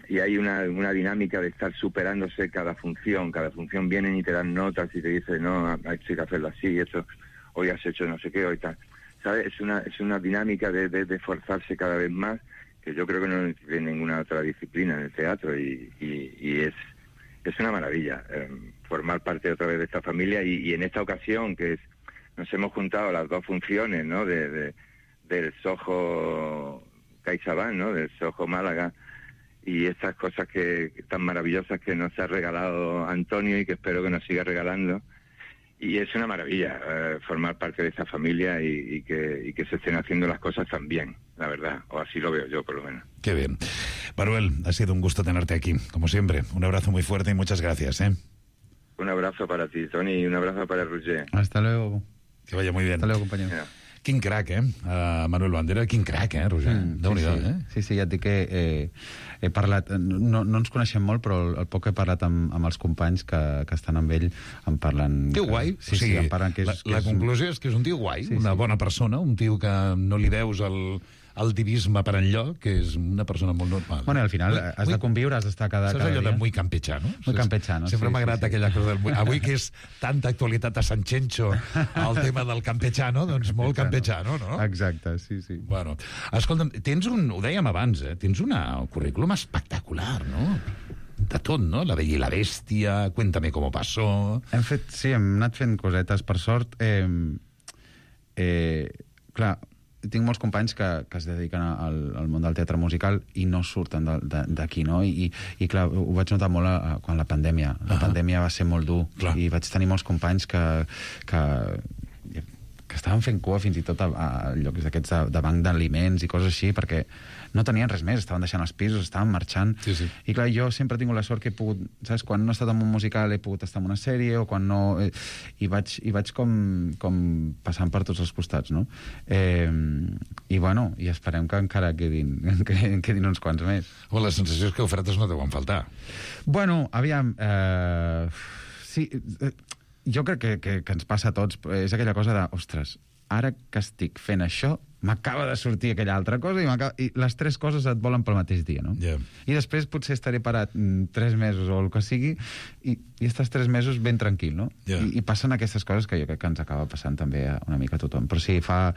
Speaker 13: y hay una, una dinámica de estar superándose cada función, cada función vienen y te dan notas y te dicen, no, hay que hacerlo así, esto hoy has hecho no sé qué, hoy tal, ¿sabes? Es una es una dinámica de, de, de esforzarse cada vez más, que yo creo que no tiene ninguna otra disciplina en el teatro, y, y, y es es una maravilla eh, formar parte otra vez de esta familia, y, y en esta ocasión que es, nos hemos juntado las dos funciones, ¿no? De, de del Soho CaixaBank, ¿no? Del Soho Málaga, y estas cosas que tan maravillosas que nos ha regalado Antonio y que espero que nos siga regalando. Y es una maravilla eh, formar parte de esta familia y, y, que, y que se estén haciendo las cosas tan bien, la verdad, o así lo veo yo por lo menos.
Speaker 9: Qué bien. Manuel, ha sido un gusto tenerte aquí, como siempre. Un abrazo muy fuerte y muchas gracias, ¿eh?
Speaker 13: Un abrazo para ti, Toni, y un abrazo para Roger.
Speaker 12: Hasta luego.
Speaker 9: Que vaya muy bien.
Speaker 12: Hasta luego, compañero.
Speaker 13: Yeah.
Speaker 9: Quin crac, eh? Uh, Manuel Bandera, quin crac, eh, Roger?
Speaker 12: Mm,
Speaker 9: Déu-n'hi-do,
Speaker 12: sí, sí.
Speaker 9: eh?
Speaker 12: Sí, sí, ja et dic que eh, he parlat... No, no ens coneixem molt, però el, el poc que he parlat amb, amb els companys que, que estan amb ell em parlen...
Speaker 9: Tio
Speaker 12: que,
Speaker 9: guai.
Speaker 12: Sí,
Speaker 9: o sigui,
Speaker 12: sí, em parlen que és...
Speaker 9: la,
Speaker 12: que
Speaker 9: la
Speaker 12: és
Speaker 9: conclusió és que és un tio guai,
Speaker 12: Sí,
Speaker 9: una
Speaker 12: sí.
Speaker 9: bona persona, un tio que no li veus el, el divisme per enlloc, que és una persona molt normal.
Speaker 12: Bueno, al final
Speaker 9: Muy-
Speaker 12: has
Speaker 9: muy-
Speaker 12: de conviure, has d'estar cada,
Speaker 9: Saps
Speaker 12: cada
Speaker 9: allò
Speaker 12: dia.
Speaker 9: de muy campechano?
Speaker 12: Muy campechano,
Speaker 9: Sempre
Speaker 12: sí,
Speaker 9: m'ha agradat
Speaker 12: sí, sí.
Speaker 9: aquella cosa del... muy- Avui que és tanta actualitat a Sant Xenxo el tema del campechano, doncs molt campechano, no?
Speaker 12: Exacte, sí, sí.
Speaker 9: Bueno, escolta'm, tens un... Ho dèiem abans, eh? Tens una, un currículum espectacular, no? De tot, no? La Bella i la Bèstia, Cuéntame cómo pasó...
Speaker 12: Hem fet, sí, hem anat fent cosetes. Per sort, eh, eh, clar, tinc molts companys que, que es dediquen al, al món del teatre musical i no surten de- de- d'aquí, no? I, i clar, ho vaig notar molt a, a, quan la pandèmia. La
Speaker 9: Ah.
Speaker 12: pandèmia va ser molt dur
Speaker 9: Clar.
Speaker 12: i vaig tenir molts companys que, que, que que estaven fent cua fins i tot a, a llocs d'aquests de, de banc d'aliments i coses així, perquè no tenien res més, estaven deixant els pisos, estaven marxant.
Speaker 9: Sí, sí.
Speaker 12: I clar, jo sempre he tingut la sort que he pogut, saps, quan no he estat en un musical he pogut estar en una sèrie, o quan no... Eh, i, vaig, I vaig com, com passant per tots els costats, no? Eh, I bueno, i esperem que encara quedin, que quedin uns quants més.
Speaker 9: Home, la sensació és que ofertes no deuen faltar.
Speaker 12: Bueno, aviam... Eh, sí... Eh, jo crec que, que, que ens passa a tots. És aquella cosa de, ostres, ara que estic fent això, m'acaba de sortir aquella altra cosa i, i les tres coses et volen pel mateix dia, no?
Speaker 9: Yeah.
Speaker 12: I després potser estaré parat mm, tres mesos o el que sigui i, i estàs tres mesos ben tranquil, no?
Speaker 9: Yeah.
Speaker 12: I, I passen aquestes coses que jo crec que ens acaba passant també a una mica a tothom. Però sí, fa,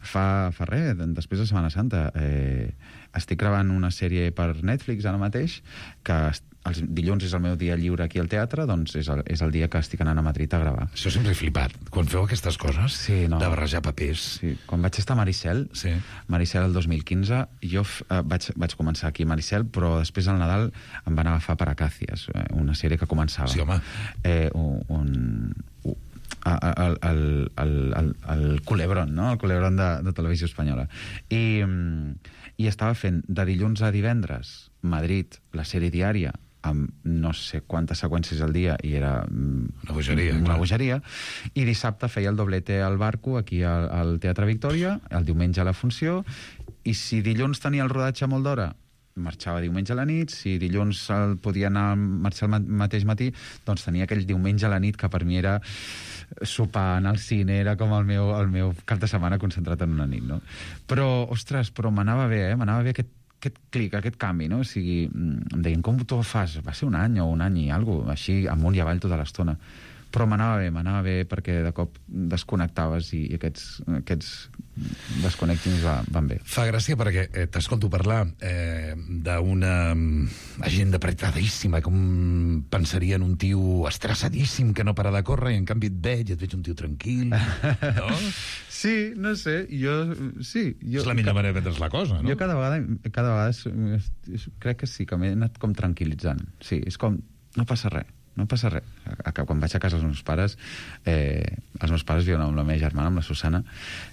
Speaker 12: fa, fa res, després de Setmana Santa, eh, estic gravant una sèrie per Netflix ara mateix que els dilluns és el meu dia lliure aquí al teatre, doncs és el, és el dia que estic anant a Madrid a gravar.
Speaker 9: Això sempre he flipat. Quan feu aquestes coses,
Speaker 12: sí, no.
Speaker 9: de barrejar papers...
Speaker 12: Sí. Quan vaig estar a Maricel,
Speaker 9: sí.
Speaker 12: Maricel el dos mil quinze, jo eh, vaig, vaig començar aquí a Maricel, però després al Nadal em van agafar per Acàcies, eh, una sèrie que començava.
Speaker 9: Sí, home.
Speaker 12: Eh, un... un el, el, el, el, el Culebron, no? El Culebron de, de Televisió Espanyola. I, I estava fent de dilluns a divendres Madrid, la sèrie diària, amb no sé quantes seqüències al dia, i era
Speaker 9: una bogeria,
Speaker 12: una
Speaker 9: clar.
Speaker 12: bogeria, i dissabte feia el doblete al Barco aquí al, al Teatre Victòria, el diumenge a la funció, i si dilluns tenia el rodatge molt d'hora, marxava diumenge a la nit, si dilluns el podia anar a marxar el mateix matí, doncs tenia aquell diumenge a la nit que per mi era sopar, anar al cine, era com el meu, el meu cap de setmana concentrat en una nit, no? Però, ostres, però m'anava bé, eh? M'anava bé aquest aquest clic, aquest canvi, no? O sigui, em deien, com tu ho fas? Va ser un any o un any i alguna cosa, així amunt i avall tota l'estona. Però m'anava bé, m'anava bé perquè de cop desconnectaves i aquests, aquests desconnectings va, van bé.
Speaker 9: Fa gràcia perquè eh, t'escolto parlar eh, d'una agenda apretadíssima, com pensaria en un tio estressadíssim que no para de córrer, i en canvi et veig i et veig un tio tranquil, no?
Speaker 12: Sí, no sé, jo... Sí, jo,
Speaker 9: és la millor manera de prendre's la cosa, no?
Speaker 12: Jo cada vegada, cada vegada és, és, crec que sí, que m'he anat com tranquil·litzant. Sí, és com, no passa res. No passa res. Quan vaig a casa dels meus pares, eh, els meus pares viuen amb la meva germana, amb la Susana,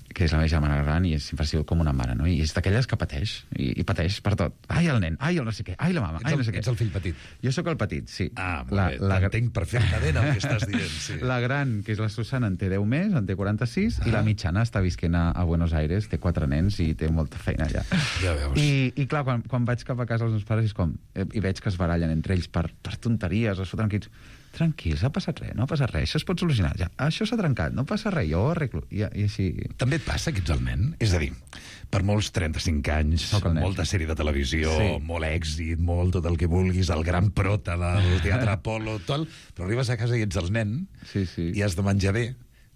Speaker 12: que és la meva germana gran, i sempre ha sigut com una mare, no? I és d'aquelles que pateix, i, i pateix per tot. Ai, el nen, ai, el no sé què, ai, la mama, ai, no sé què.
Speaker 9: Ets el fill petit?
Speaker 12: Jo sóc el petit, sí.
Speaker 9: Ah, molt bé, t'entenc perfectament el que estàs dient, sí.
Speaker 12: La gran, que és la Susana, en té deu més, en té quaranta-sis, ah. i la mitjana està visquent a, a Buenos Aires, té quatre nens i té molta feina allà.
Speaker 9: Ja veus.
Speaker 12: I, i clar, quan, quan vaig cap a casa dels meus pares és com, eh, i veig que es barallen entre ells per, per tonteries, es foten crits. Tranquils, ha passat res, no ha passat res, això es pot solucionar. Ja, això s'ha trencat, no passa res, jo ho arreglo. I, i així...
Speaker 9: També et passa que ets el nen? És a dir, per molts trenta-cinc anys, molta sèrie de televisió, sí. molt èxit, molt tot el que vulguis, el gran prota del Teatre Apolo, tot, però arribes a casa i ets el nen,
Speaker 12: sí, sí.
Speaker 9: i has de menjar bé,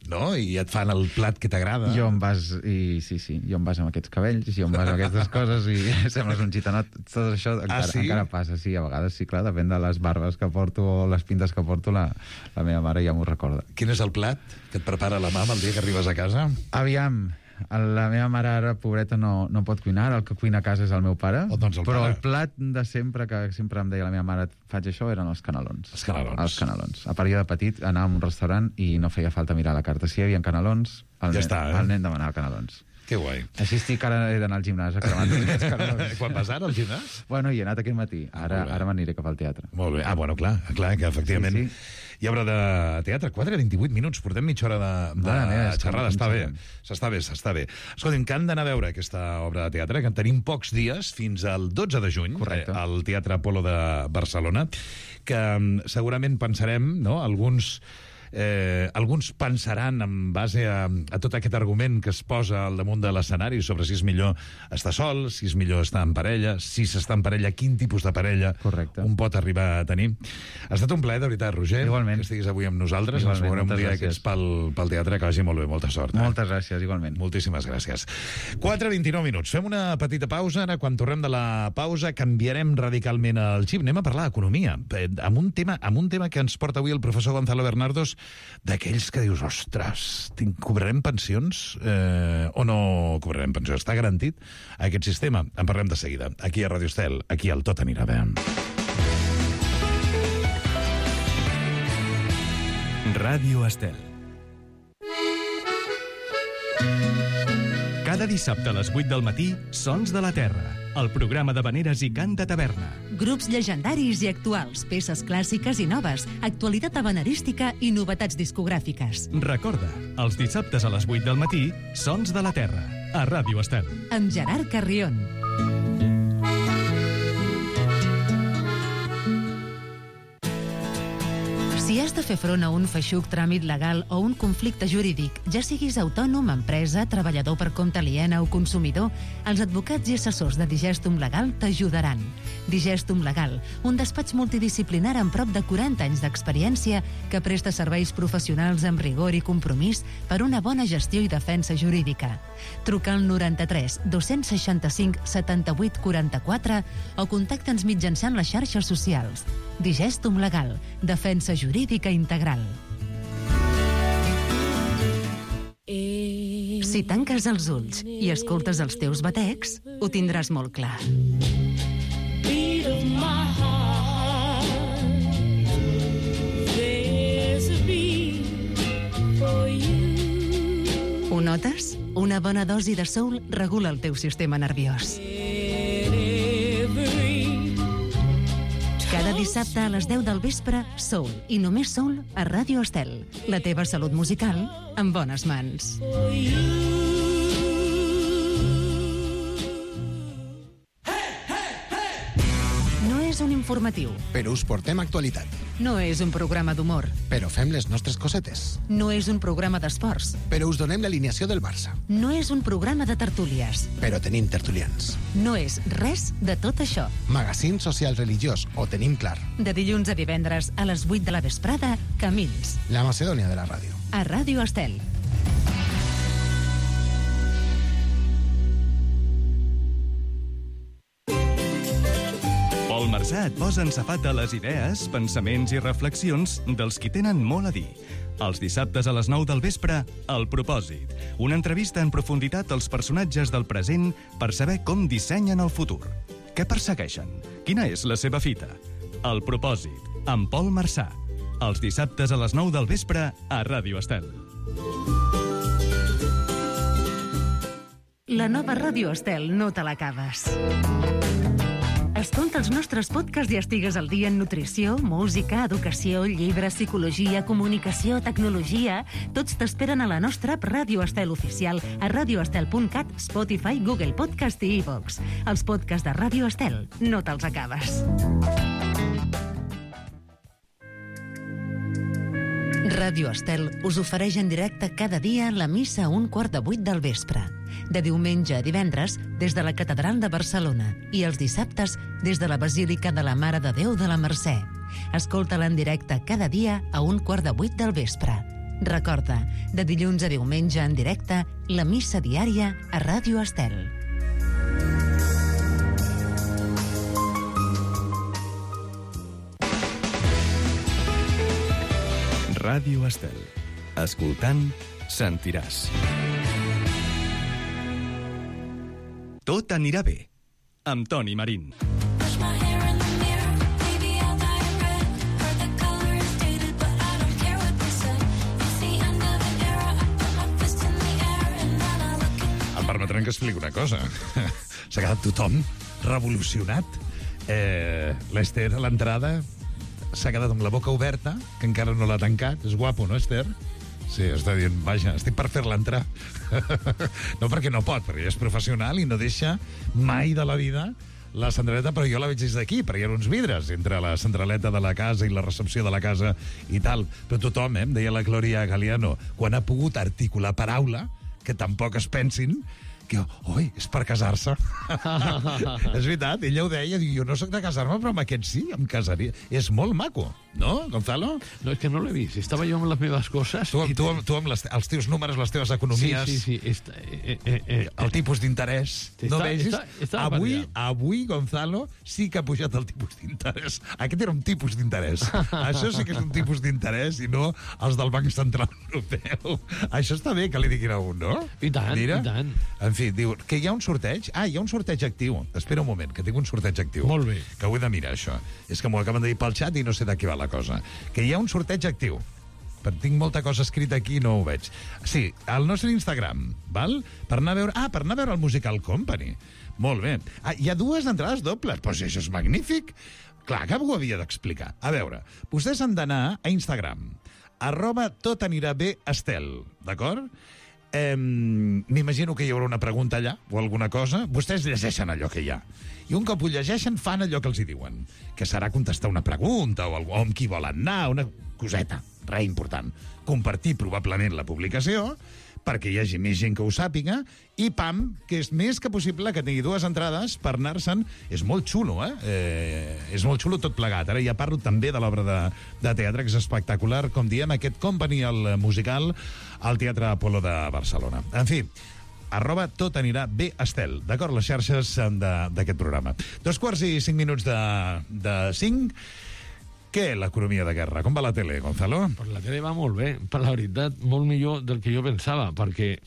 Speaker 9: no? I et fan el plat que t'agrada.
Speaker 12: Jo em vas, i sí, sí, jo em vas amb aquests cabells, jo em vas amb aquestes coses, i sembles un gitanot. Tot això encara,
Speaker 9: ah, sí?
Speaker 12: encara passa, sí, a vegades sí, clar, depèn de les barbes que porto o les pintes que porto, la, la meva mare ja m'ho recorda.
Speaker 9: Quin és el plat que et prepara la mama el dia que arribes a casa?
Speaker 12: Aviam, la meva mare ara, pobreta, no, no pot cuinar, el que cuina a casa és el meu pare,
Speaker 9: oh, doncs el
Speaker 12: però
Speaker 9: pare.
Speaker 12: El plat de sempre, que sempre em deia la meva mare, faig això, eren els canelons.
Speaker 9: Els canelons.
Speaker 12: Els canelons. A part, jo de petit anàvem a un restaurant i no feia falta mirar la carta. Si hi havia canelons, el,
Speaker 9: ja
Speaker 12: nen,
Speaker 9: està, eh?
Speaker 12: el nen demanava canelons.
Speaker 9: Que guai.
Speaker 12: Així estic, ara he d'anar al gimnàs a cremar aquests canelons.
Speaker 9: Quan vas ara al gimnàs?
Speaker 12: Bueno, hi he anat aquest matí. Ara,
Speaker 9: ah,
Speaker 12: ara m'aniré cap al teatre.
Speaker 9: Molt bé. Ah, bueno, clar, clar que efectivament... Sí, sí. Hi ha obra de teatre, quatre vint-i-vuit minuts, portem mitja hora de, de meva, xerrada, està bé, s'està bé, s'està bé. Escolta'm, que han d'anar a veure aquesta obra de teatre, que en tenim pocs dies, fins al dotze de juny, eh, al Teatre Apolo de Barcelona, que segurament pensarem, no?, alguns... Eh, alguns pensaran en base a, a tot aquest argument que es posa al damunt de l'escenari sobre si és millor estar sol, si és millor estar en parella, si s'està en parella, quin tipus de parella
Speaker 12: Correcte.
Speaker 9: Un pot arribar a tenir. Ha estat un plaer, de veritat, Roger,
Speaker 12: igualment.
Speaker 9: Que estiguis avui amb nosaltres.
Speaker 12: Igualment,
Speaker 9: ens veurem un dia
Speaker 12: gràcies.
Speaker 9: que ets pel, pel teatre, que vagi molt bé, molta sort. Eh?
Speaker 12: Moltes gràcies, igualment.
Speaker 9: Moltíssimes gràcies. quatre vint-i-nou minuts. Fem una petita pausa. Ara, quan tornem de la pausa, canviarem radicalment el xip. Anem a parlar d'economia, amb un tema, amb un tema que ens porta avui el professor Gonzalo Bernardos, d'aquells que dius, ostres, cobrarem pensions eh, o no cobrarem pensions? Està garantit aquest sistema? En parlem de seguida. Aquí a Radio Estel, aquí al Tot anirà bé.
Speaker 5: Ràdio Estel. Cada dissabte a les vuit del matí, Sons de la Terra, el programa de veneres i cant de taverna.
Speaker 6: Grups llegendaris i actuals, peces clàssiques i noves, actualitat habanerística i novetats discogràfiques.
Speaker 5: Recorda, els dissabtes a les vuit del matí, Sons de la Terra, a Ràdio Estel.
Speaker 6: Amb Gerard Carrion. Si has de fer front a un feixuc tràmit legal o un conflicte jurídic, ja siguis autònom, empresa, treballador per compte aliena o consumidor, els advocats i assessors de Digestum Legal t'ajudaran. Digestum Legal, un despatx multidisciplinar amb prop de quaranta anys d'experiència que presta serveis professionals amb rigor i compromís per una bona gestió i defensa jurídica. Truca al noranta-tres dos-cents seixanta-cinc setanta-vuit quaranta-quatre o contacta'ns mitjançant les xarxes socials. Digestum Legal, defensa jurídica integral. Si tanques els ulls i escoltes els teus batecs, ho tindràs molt clar. Ho notes? Una bona dosi de soul regula el teu sistema nerviós. Cada dissabte a les deu del vespre, Soul, i només Soul a Ràdio Estel. La teva salut musical en bones mans. No és un informatiu.
Speaker 7: Però us portem actualitat.
Speaker 6: No és un programa d'humor.
Speaker 7: Però fem les nostres cosetes.
Speaker 6: No és un programa d'esports.
Speaker 7: Però us donem l'alineació del Barça.
Speaker 6: No és un programa de tertúlies.
Speaker 7: Però tenim tertulians.
Speaker 6: No és res de tot això.
Speaker 7: Magazín social religiós, ho tenim clar.
Speaker 6: De dilluns a divendres a les vuit de la vesprada, Camins.
Speaker 7: La Macedònia de la ràdio.
Speaker 6: A Ràdio Estel.
Speaker 5: Pol Marsà et posa en safata les idees, pensaments i reflexions dels qui tenen molt a dir. Els dissabtes a les nou del vespre, El Propòsit. Una entrevista en profunditat als personatges del present per saber com dissenyen el futur. Què persegueixen? Quina és la seva fita? El Propòsit, amb Pol Marsà. Els dissabtes a les nou del vespre a Ràdio Estel.
Speaker 6: La nova Ràdio Estel no te l'acabes. Escolta els nostres podcasts i estigues al dia en nutrició, música, educació, llibres, psicologia, comunicació, tecnologia. Tots t'esperen a la nostra app Ràdio Estel oficial a radioestel punt cat, Spotify, Google Podcast i iVoox. Els podcasts de Ràdio Estel no te'ls acabes. Ràdio Estel us ofereix en directe cada dia la missa a un quart de vuit del vespre. De diumenge a divendres, des de la Catedral de Barcelona, i els dissabtes, des de la Basílica de la Mare de Déu de la Mercè. Escolta-la en directe cada dia a un quart de vuit del vespre. Recorda, de dilluns a diumenge en directe, la missa diària a Ràdio Estel.
Speaker 5: Ràdio Estel. Escoltant, sentiràs. Tot anirà bé, amb Toni Marín.
Speaker 9: Em permetran que expliqui una cosa. S'ha quedat tothom revolucionat. Eh, L'Ester a l'entrada s'ha quedat amb la boca oberta, que encara no l'ha tancat. És guapo, no, Ester? Sí, està dient, vaja, estic per fer-la entrar. No perquè no pot, perquè és professional i no deixa mai de la vida la centraleta, però jo la veig des d'aquí, perquè hi ha uns vidres entre la centraleta de la casa i la recepció de la casa i tal. Però tothom, eh, em deia la Glòria Galiano, quan ha pogut articular paraula, que tampoc es pensin que, oi, és per casar-se. És veritat, ella ho deia, diu, jo no soc de casar-me, però amb aquest sí, em casaria. És molt maco, no, Gonzalo?
Speaker 14: No, és que no l'he vist, estava jo amb les meves coses.
Speaker 9: Tu, tu, tu, tu amb les, els teus números, les teves economies,
Speaker 14: sí, sí, sí. Està, eh, eh, eh,
Speaker 9: el tipus d'interès. No vegis?
Speaker 14: Està, està
Speaker 9: avui, avui, Gonzalo, sí que ha pujat el tipus d'interès. Aquest era un tipus d'interès. Això sí que és un tipus d'interès i no els del Banc Central Europeu. Això està bé que li diguin a un, no?
Speaker 14: I tant,
Speaker 9: Mira,
Speaker 14: i tant.
Speaker 9: En fi, diu que hi ha un sorteig. Ah, hi ha un sorteig actiu. Espera un moment, que tinc un sorteig actiu.
Speaker 14: Molt bé.
Speaker 9: Que ho he de mirar, això. És que m'ho acaben de dir pel xat i no sé de què va la cosa. Que hi ha un sorteig actiu. però tinc molta cosa escrita aquí i no ho veig. Sí, al nostre Instagram, val? Per anar a veure... Ah, per anar a veure el Musical Company. Molt bé. Ah, hi ha dues entrades dobles. Doncs això és magnífic. Clar que ho havia d'explicar. A veure, vostès han d'anar a Instagram, arroba tot anirà bé Estel, d'acord? Eh, M'imagino que hi haurà una pregunta allà o alguna cosa. Vostès llegeixen allò que hi ha. I un cop ho llegeixen, fan allò que els hi diuen. Que serà contestar una pregunta o, algú, o amb qui volen anar, una coseta, res important. Compartir probablement la publicació perquè hi hagi més gent que ho sàpiga, i pam, que és més que possible que tingui dues entrades per anar-se'n. És molt xulo, eh? eh? És molt xulo tot plegat. Ara ja parlo també de l'obra de, de teatre, que és espectacular, com diem, aquest Company, el musical, al Teatre Apolo de Barcelona. En fi, arroba tot anirà bé Estel, d'acord? Les xarxes d'aquest programa. Dos quarts i cinc minuts de, de cinc. Què, l'economia de guerra? Com va la tele, Gonzalo?
Speaker 14: Pues la tele va molt bé, per la veritat, molt millor del que jo pensava, perquè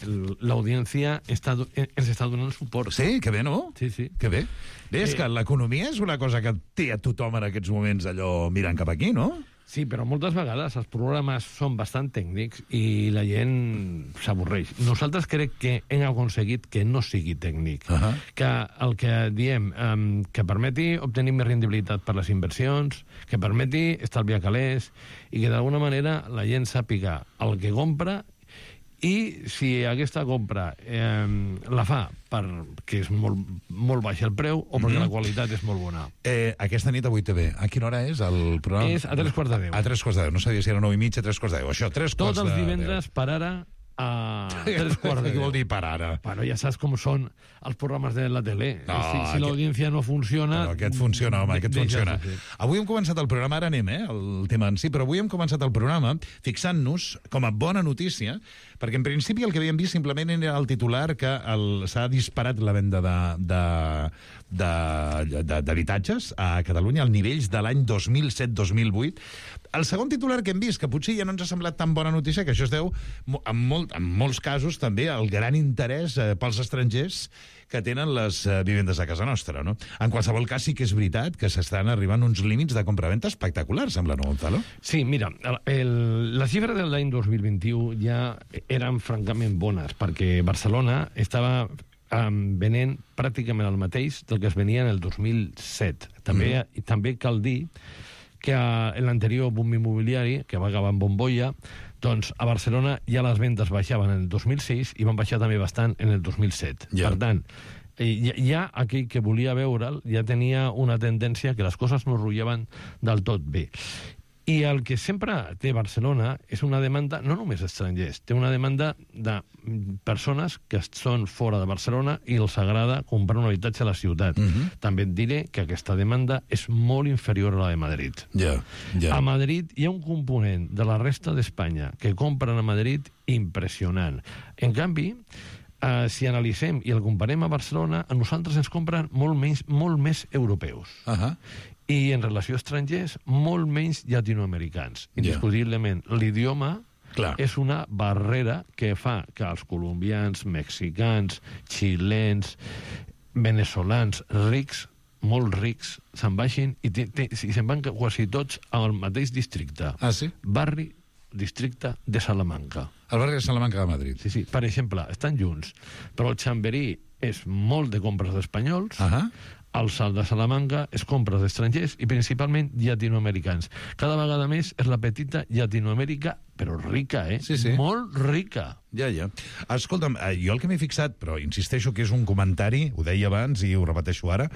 Speaker 14: l'audiència està, ens està donant suport.
Speaker 9: Sí, que bé, no?
Speaker 14: Sí, sí.
Speaker 9: Que bé. Bé, és
Speaker 14: Eh,
Speaker 9: que l'economia és una cosa que té a tothom en aquests moments allò mirant cap aquí, no?
Speaker 14: Sí, però moltes vegades els programes són bastant tècnics i la gent s'avorreix. Nosaltres crec que hem aconseguit que no sigui tècnic.
Speaker 9: Uh -huh.
Speaker 14: Que el que diem, um, que permeti obtenir més rendibilitat per les inversions, que permeti estalviar calés i que d'alguna manera la gent sàpiga el que compra, i si aquesta compra eh, la fa perquè és molt, molt baix el preu o perquè
Speaker 9: Mhm.
Speaker 14: la qualitat és molt bona.
Speaker 9: Eh, aquesta nit a vuit T V. A quina hora és el programa?
Speaker 14: És a tres quarts de deu.
Speaker 9: A tres quarts de deu. No sabia si era nou i mitja, tres quarts de deu. Això, tres quarts
Speaker 14: Tots
Speaker 9: de
Speaker 14: els
Speaker 9: deu.
Speaker 14: divendres per ara a tres quarts de
Speaker 9: Què
Speaker 14: deu.
Speaker 9: vol dir per ara?
Speaker 14: Bueno, ja saps com són els programes de la tele.
Speaker 9: No,
Speaker 14: si si
Speaker 9: aquest-
Speaker 14: l'audiència no funciona...
Speaker 9: Però aquest funciona, home, aquest
Speaker 14: deixa
Speaker 9: funciona.
Speaker 14: de fer.
Speaker 9: Avui hem començat el programa, ara anem, eh, el tema en si, però avui hem començat el programa fixant-nos com a bona notícia, perquè en principi el que havíem vist simplement era el titular que el- s'ha disparat la venda de, de, de, de, d'habitatges a Catalunya als nivells de l'any dos mil set dos mil vuit. El segon titular que hem vist, que potser ja no ens ha semblat tan bona notícia, que això es deu, mo- en, molt, en molts casos, també al gran interès eh, pels estrangers que tenen les eh, vivendes a casa nostra, no? En qualsevol cas, sí que és veritat que s'estan arribant uns límits de compraventa espectaculars, sembla, no, Gonzalo?
Speaker 14: Sí, mira, el, el, les xifres de l'any dos mil vint-i-u ja eren francament bones, perquè Barcelona estava um, venent pràcticament el mateix del que es venia en el dos mil set. També, mm. també cal dir que en l'anterior boom immobiliari, que va acabar en bombolla, doncs a Barcelona ja les vendes baixaven en el dos mil sis i van baixar també bastant en el dos mil set.
Speaker 9: Ja.
Speaker 14: Per tant, ja, ja aquell que volia veure'l ja tenia una tendència que les coses no rotllaven del tot bé. I el que sempre té Barcelona és una demanda, no només estrangers, té una demanda de persones que són fora de Barcelona i els agrada comprar un habitatge a la ciutat.
Speaker 9: Mhm.
Speaker 14: També et diré que aquesta demanda és molt inferior a la de Madrid.
Speaker 9: Ja, ja.
Speaker 14: A Madrid hi ha un component de la resta d'Espanya que compren a Madrid impressionant. En canvi, eh, si analitzem i el comparem a Barcelona, a nosaltres ens compren molt, menys, molt més europeus.
Speaker 9: Uh -huh.
Speaker 14: I en relació a estrangers, molt menys llatinoamericans.
Speaker 9: Ja.
Speaker 14: Indiscutiblement, l'idioma
Speaker 9: Clar.
Speaker 14: és una barrera que fa que els colombians, mexicans, xilens, venezolans, rics, molt rics, se'n baixin i, te, te, i se'n van quasi tots al mateix districte.
Speaker 9: Ah, sí?
Speaker 14: Barri, districte de Salamanca.
Speaker 9: El barri de Salamanca de Madrid.
Speaker 14: Sí, sí. Per exemple, estan junts, però el Chamberí és molt de compres d'espanyols,
Speaker 9: Uh -huh.
Speaker 14: el Salt de Salamanca és compres d'estrangers i principalment llatinoamericans. Cada vegada més és la petita Llatinoamèrica, però rica, eh?
Speaker 9: Sí, sí.
Speaker 14: Molt rica.
Speaker 9: Ja, ja. Escolta'm, eh, jo el que m'he fixat, però insisteixo que és un comentari, ho deia abans i ho repeteixo ara,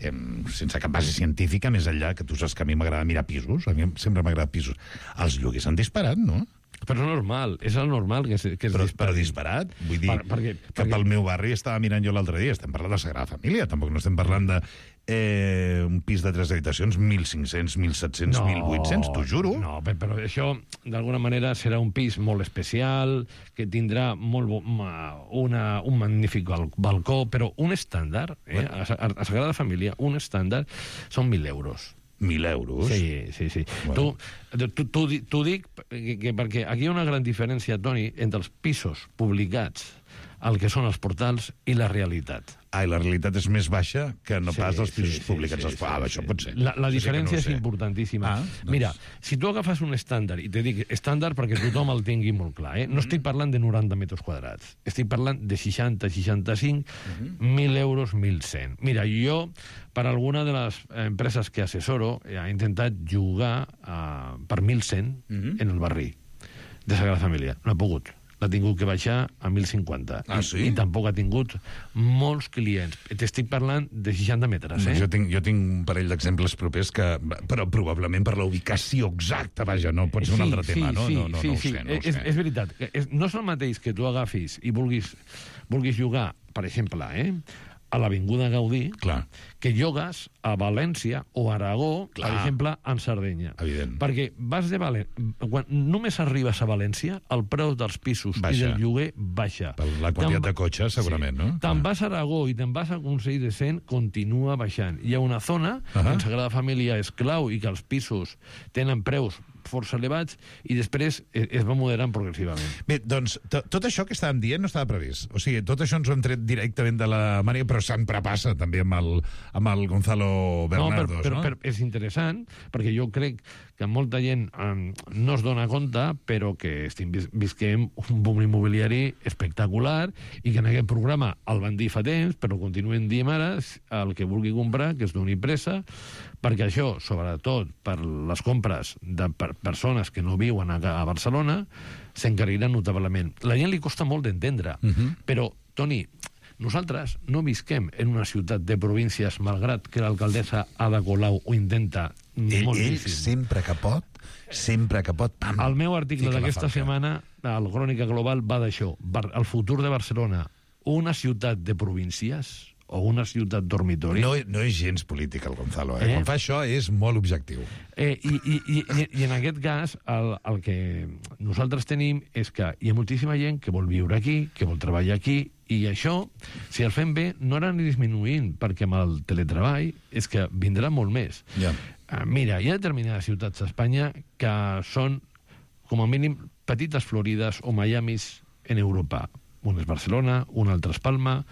Speaker 9: eh, sense cap base científica, més enllà, que tu saps que a mi m'agrada mirar pisos, a mi sempre m'agrada pisos. Els lloguers han disparat, no?
Speaker 14: Però normal, és el normal que, es- que es
Speaker 9: Però,
Speaker 14: dispari.
Speaker 9: però disparat? Vull dir,
Speaker 14: Per- perquè-
Speaker 9: que
Speaker 14: perquè-
Speaker 9: pel meu barri estava mirant jo l'altre dia, estem parlant de Sagrada Família, tampoc no estem parlant de eh, un pis de tres habitacions, mil cinc-cents, mil set-cents, mil vuit-cents, t'ho juro.
Speaker 14: No, però, però això, d'alguna manera, serà un pis molt especial, que tindrà molt bo, ma- una, un magnífic bal- balcó, però un estàndard, eh, a, Sa- a Sagrada Família, un estàndard, són mil euros.
Speaker 9: Mil euros?
Speaker 14: Sí, sí, sí.
Speaker 9: Bueno.
Speaker 14: Tu, tu, tu, t'ho dic que, que, perquè aquí hi ha una gran diferència, Toni, entre els pisos publicats el que són els portals i la realitat.
Speaker 9: Ah, i la realitat és més baixa que no
Speaker 14: Sí,
Speaker 9: pas els pisos
Speaker 14: sí, sí,
Speaker 9: públics.
Speaker 14: sí, sí,
Speaker 9: ah,
Speaker 14: sí,
Speaker 9: això
Speaker 14: sí.
Speaker 9: pot ser.
Speaker 14: La, la
Speaker 9: Això sí que
Speaker 14: diferència
Speaker 9: no ho
Speaker 14: és
Speaker 9: sé.
Speaker 14: importantíssima.
Speaker 9: Ah, doncs...
Speaker 14: Mira, si tu agafes un estàndard, i te dic estàndard perquè tothom el tingui molt clar, eh? no estic parlant de noranta metres quadrats, estic parlant de seixanta, seixanta-cinc, mil euros, mil cent. Mira, jo, per alguna de les empreses que assessoro, he intentat jugar uh, per mil cent en el barri de Sagrada Família. No ha pogut. L'ha tingut que baixar a mil cinquanta.
Speaker 9: Ah, sí?
Speaker 14: I, I tampoc ha tingut molts clients. T'estic parlant de seixanta metres, eh?
Speaker 9: Jo tinc, jo tinc un parell d'exemples propers que... Però probablement per la ubicació exacta, vaja, no pot ser un altre tema, no?
Speaker 14: Sí,
Speaker 9: no, no,
Speaker 14: sí,
Speaker 9: no ho
Speaker 14: sí.
Speaker 9: sé, no ho
Speaker 14: és,
Speaker 9: sé.
Speaker 14: és veritat. És, no és el mateix que tu agafis i vulguis, vulguis jugar, per exemple, eh, a l'Avinguda Gaudí,
Speaker 9: Clar.
Speaker 14: que llogues a València o Aragó,
Speaker 9: Clar.
Speaker 14: per exemple, en Sardenya.
Speaker 9: Evident.
Speaker 14: Perquè vas de València... Quan només arribes a València, el preu dels pisos
Speaker 9: Baixa.
Speaker 14: i del lloguer baixa.
Speaker 9: Per la quantitat
Speaker 14: Te'n-
Speaker 9: de cotxes, segurament, no?
Speaker 14: Te'n vas a Aragó i te'n vas a Consell de Cent, continua baixant. Hi ha una zona
Speaker 9: Ahà.
Speaker 14: que en Sagrada Família és clau i que els pisos tenen preus força elevats i després es, es va moderant progressivament.
Speaker 9: Bé, doncs, to- tot això que estàvem dient no estava previst. O sigui, tot això ens ho hem tret directament de la Maria, però sempre passa també amb el, amb el Gonzalo Bernardos,
Speaker 14: no? Però,
Speaker 9: no?
Speaker 14: però, però és interessant, perquè jo crec que molta gent um, no es dona compte, però que estem vis visquem un boom immobiliari espectacular i que en aquest programa el van dir fa temps, però continuen dient ara el que vulgui comprar, que es doni pressa, perquè això, sobretot per les compres de per persones que no viuen a, a Barcelona, s'encarirà notablement. La gent li costa molt d'entendre, uh -huh. però, Toni, nosaltres no visquem en una ciutat de províncies, malgrat que l'alcaldessa Ada Colau ho intenta
Speaker 9: Ell,
Speaker 14: moltíssim.
Speaker 9: ell sempre que pot, sempre que pot, pam,
Speaker 14: El meu article
Speaker 9: fica la
Speaker 14: d'aquesta
Speaker 9: falca.
Speaker 14: setmana, el Crònica Global, va d'això. Bar- El futur de Barcelona, una ciutat de províncies o una ciutat dormitori?
Speaker 9: No, no és gens polític, el Gonzalo. Eh?
Speaker 14: Eh?
Speaker 9: Quan fa això és molt objectiu.
Speaker 14: Eh, i, i, i, I en aquest cas, el, el que nosaltres tenim és que hi ha moltíssima gent que vol viure aquí, que vol treballar aquí, i això, si el fem bé, no anirà ni disminuint, perquè amb el teletreball és que vindrà molt més.
Speaker 9: Ja.
Speaker 14: Uh, mira, hi ha determinades ciutats d'Espanya que són, com a mínim, petites Florides o Miamis en Europa. Un és Barcelona, un altre és Palma,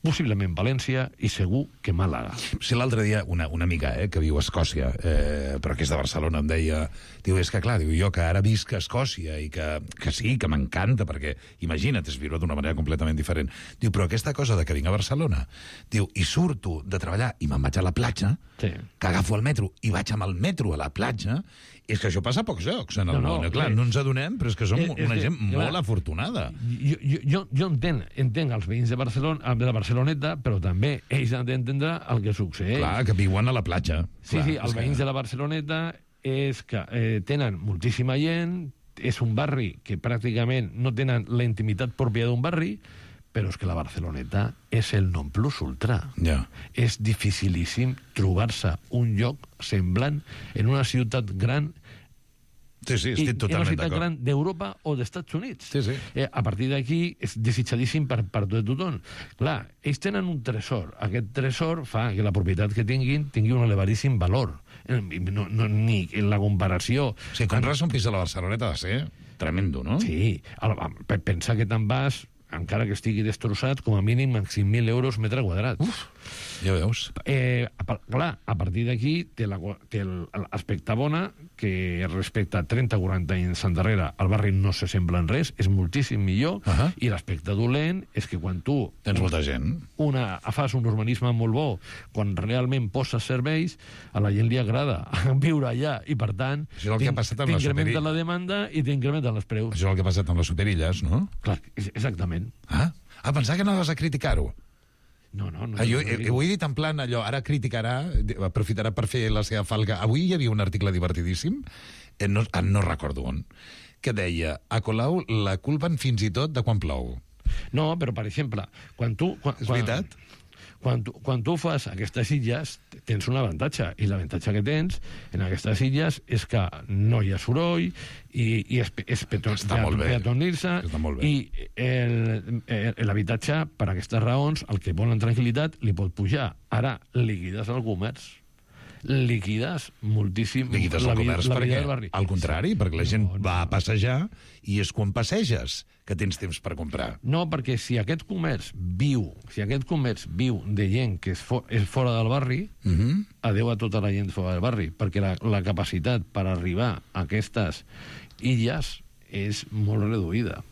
Speaker 14: possiblement València i segur que Màlaga.
Speaker 9: Si l'altre dia una, una amiga eh, que viu a Escòcia, eh, però que és de Barcelona, em deia, diu, és que clar, diu, jo que ara visc a Escòcia i que, que sí, que m'encanta, perquè imagina't, és viure d'una manera completament diferent. Diu, però aquesta cosa de que vinc a Barcelona, diu, i surto de treballar i me'n vaig a la platja,
Speaker 14: sí.
Speaker 9: que agafo el metro i vaig amb el metro a la platja, és que això passa a pocs llocs en el
Speaker 14: No, no,
Speaker 9: món. Clar,
Speaker 14: bé.
Speaker 9: no ens adonem, però és que som
Speaker 14: És- és
Speaker 9: una
Speaker 14: que,
Speaker 9: gent
Speaker 14: clar,
Speaker 9: molt afortunada.
Speaker 14: Jo, jo, jo, jo entenc, entenc els veïns de Barcelona, de la Barceloneta, però també ells han d'entendre el que succeeix.
Speaker 9: Clar, que viuen a la platja.
Speaker 14: Sí,
Speaker 9: Clar,
Speaker 14: sí,
Speaker 9: és
Speaker 14: els
Speaker 9: que-
Speaker 14: veïns de la Barceloneta és que eh, tenen moltíssima gent, és un barri que pràcticament no tenen la intimitat pròpia d'un barri, però és que la Barceloneta és el non plus ultra.
Speaker 9: Ja.
Speaker 14: És dificilíssim trobar-se un lloc semblant en una ciutat gran
Speaker 9: Sí, sí,
Speaker 14: i,
Speaker 9: estic
Speaker 14: i una
Speaker 9: totalment
Speaker 14: ciutat
Speaker 9: d'acord.
Speaker 14: gran d'Europa o d'Estats Units.
Speaker 9: Sí, sí.
Speaker 14: Eh, a partir d'aquí és desitjadíssim per, per tot tothom. Clar, ells tenen un tresor. Aquest tresor fa que la propietat que tinguin tingui un elevadíssim valor. Eh, No, no, ni en la comparació...
Speaker 9: Si compres un pis a la Barceloneta ha de ser tremendo, no?
Speaker 14: Sí, ara, pe- pensa que te'n vas, encara que estigui destrossat, com a mínim amb cinc mil euros metre quadrat.
Speaker 9: Uf, ja veus.
Speaker 14: Eh, a, par- clar, a partir d'aquí té la- té el- l'aspecte bona, que respecte a trenta o quaranta anys endarrere el barri no se sembla en res, és moltíssim millor,
Speaker 9: Uh -huh.
Speaker 14: i l'aspecte dolent és que quan tu
Speaker 9: Tens molta gent.
Speaker 14: una, fas un urbanisme molt bo, quan realment poses serveis, a la gent li agrada viure allà, i per tant
Speaker 9: Això és el que ha passat amb la
Speaker 14: t'incrementa
Speaker 9: superi-
Speaker 14: la demanda i t'incrementen els preus.
Speaker 9: Això és el que ha passat amb les superilles, no?
Speaker 14: Clar, és- exactament.
Speaker 9: Ah, ah pensar que no vas a criticar-ho.
Speaker 14: No, no, no.
Speaker 9: Ah, jo,
Speaker 14: no,
Speaker 9: eh, ho he dit en plan allò, ara criticarà, aprofitarà per fer la seva falca. Avui hi havia un article divertidíssim, eh, no, ah, no recordo on, que deia, a Colau la culpen fins i tot de quan plou.
Speaker 14: No, però, per exemple, quan tu... Quan,
Speaker 9: És veritat?
Speaker 14: Quan tu, quan tu fas aquestes illes, tens un avantatge, i l'avantatge que tens en aquestes illes és que no hi ha soroll, i, i és, és peton,
Speaker 9: Està molt bé.
Speaker 14: peatonir-se,
Speaker 9: Està molt bé.
Speaker 14: i el- el- l'habitatge, per aquestes raons, el que volen tranquil·litat, li pot pujar. Ara, liquides el comerç. liquides moltíssim
Speaker 9: Liquides
Speaker 14: la,
Speaker 9: el
Speaker 14: vi-
Speaker 9: comerç
Speaker 14: la vida
Speaker 9: perquè,
Speaker 14: del barri.
Speaker 9: al contrari, perquè la gent va a passejar i és quan passeges que tens temps per comprar.
Speaker 14: No, perquè si aquest comerç viu, si aquest comerç viu de gent que és, fo és fora del barri,
Speaker 9: Uh -huh.
Speaker 14: adeu a tota la gent fora del barri, perquè la, la capacitat per arribar a aquestes illes és molt reduïda.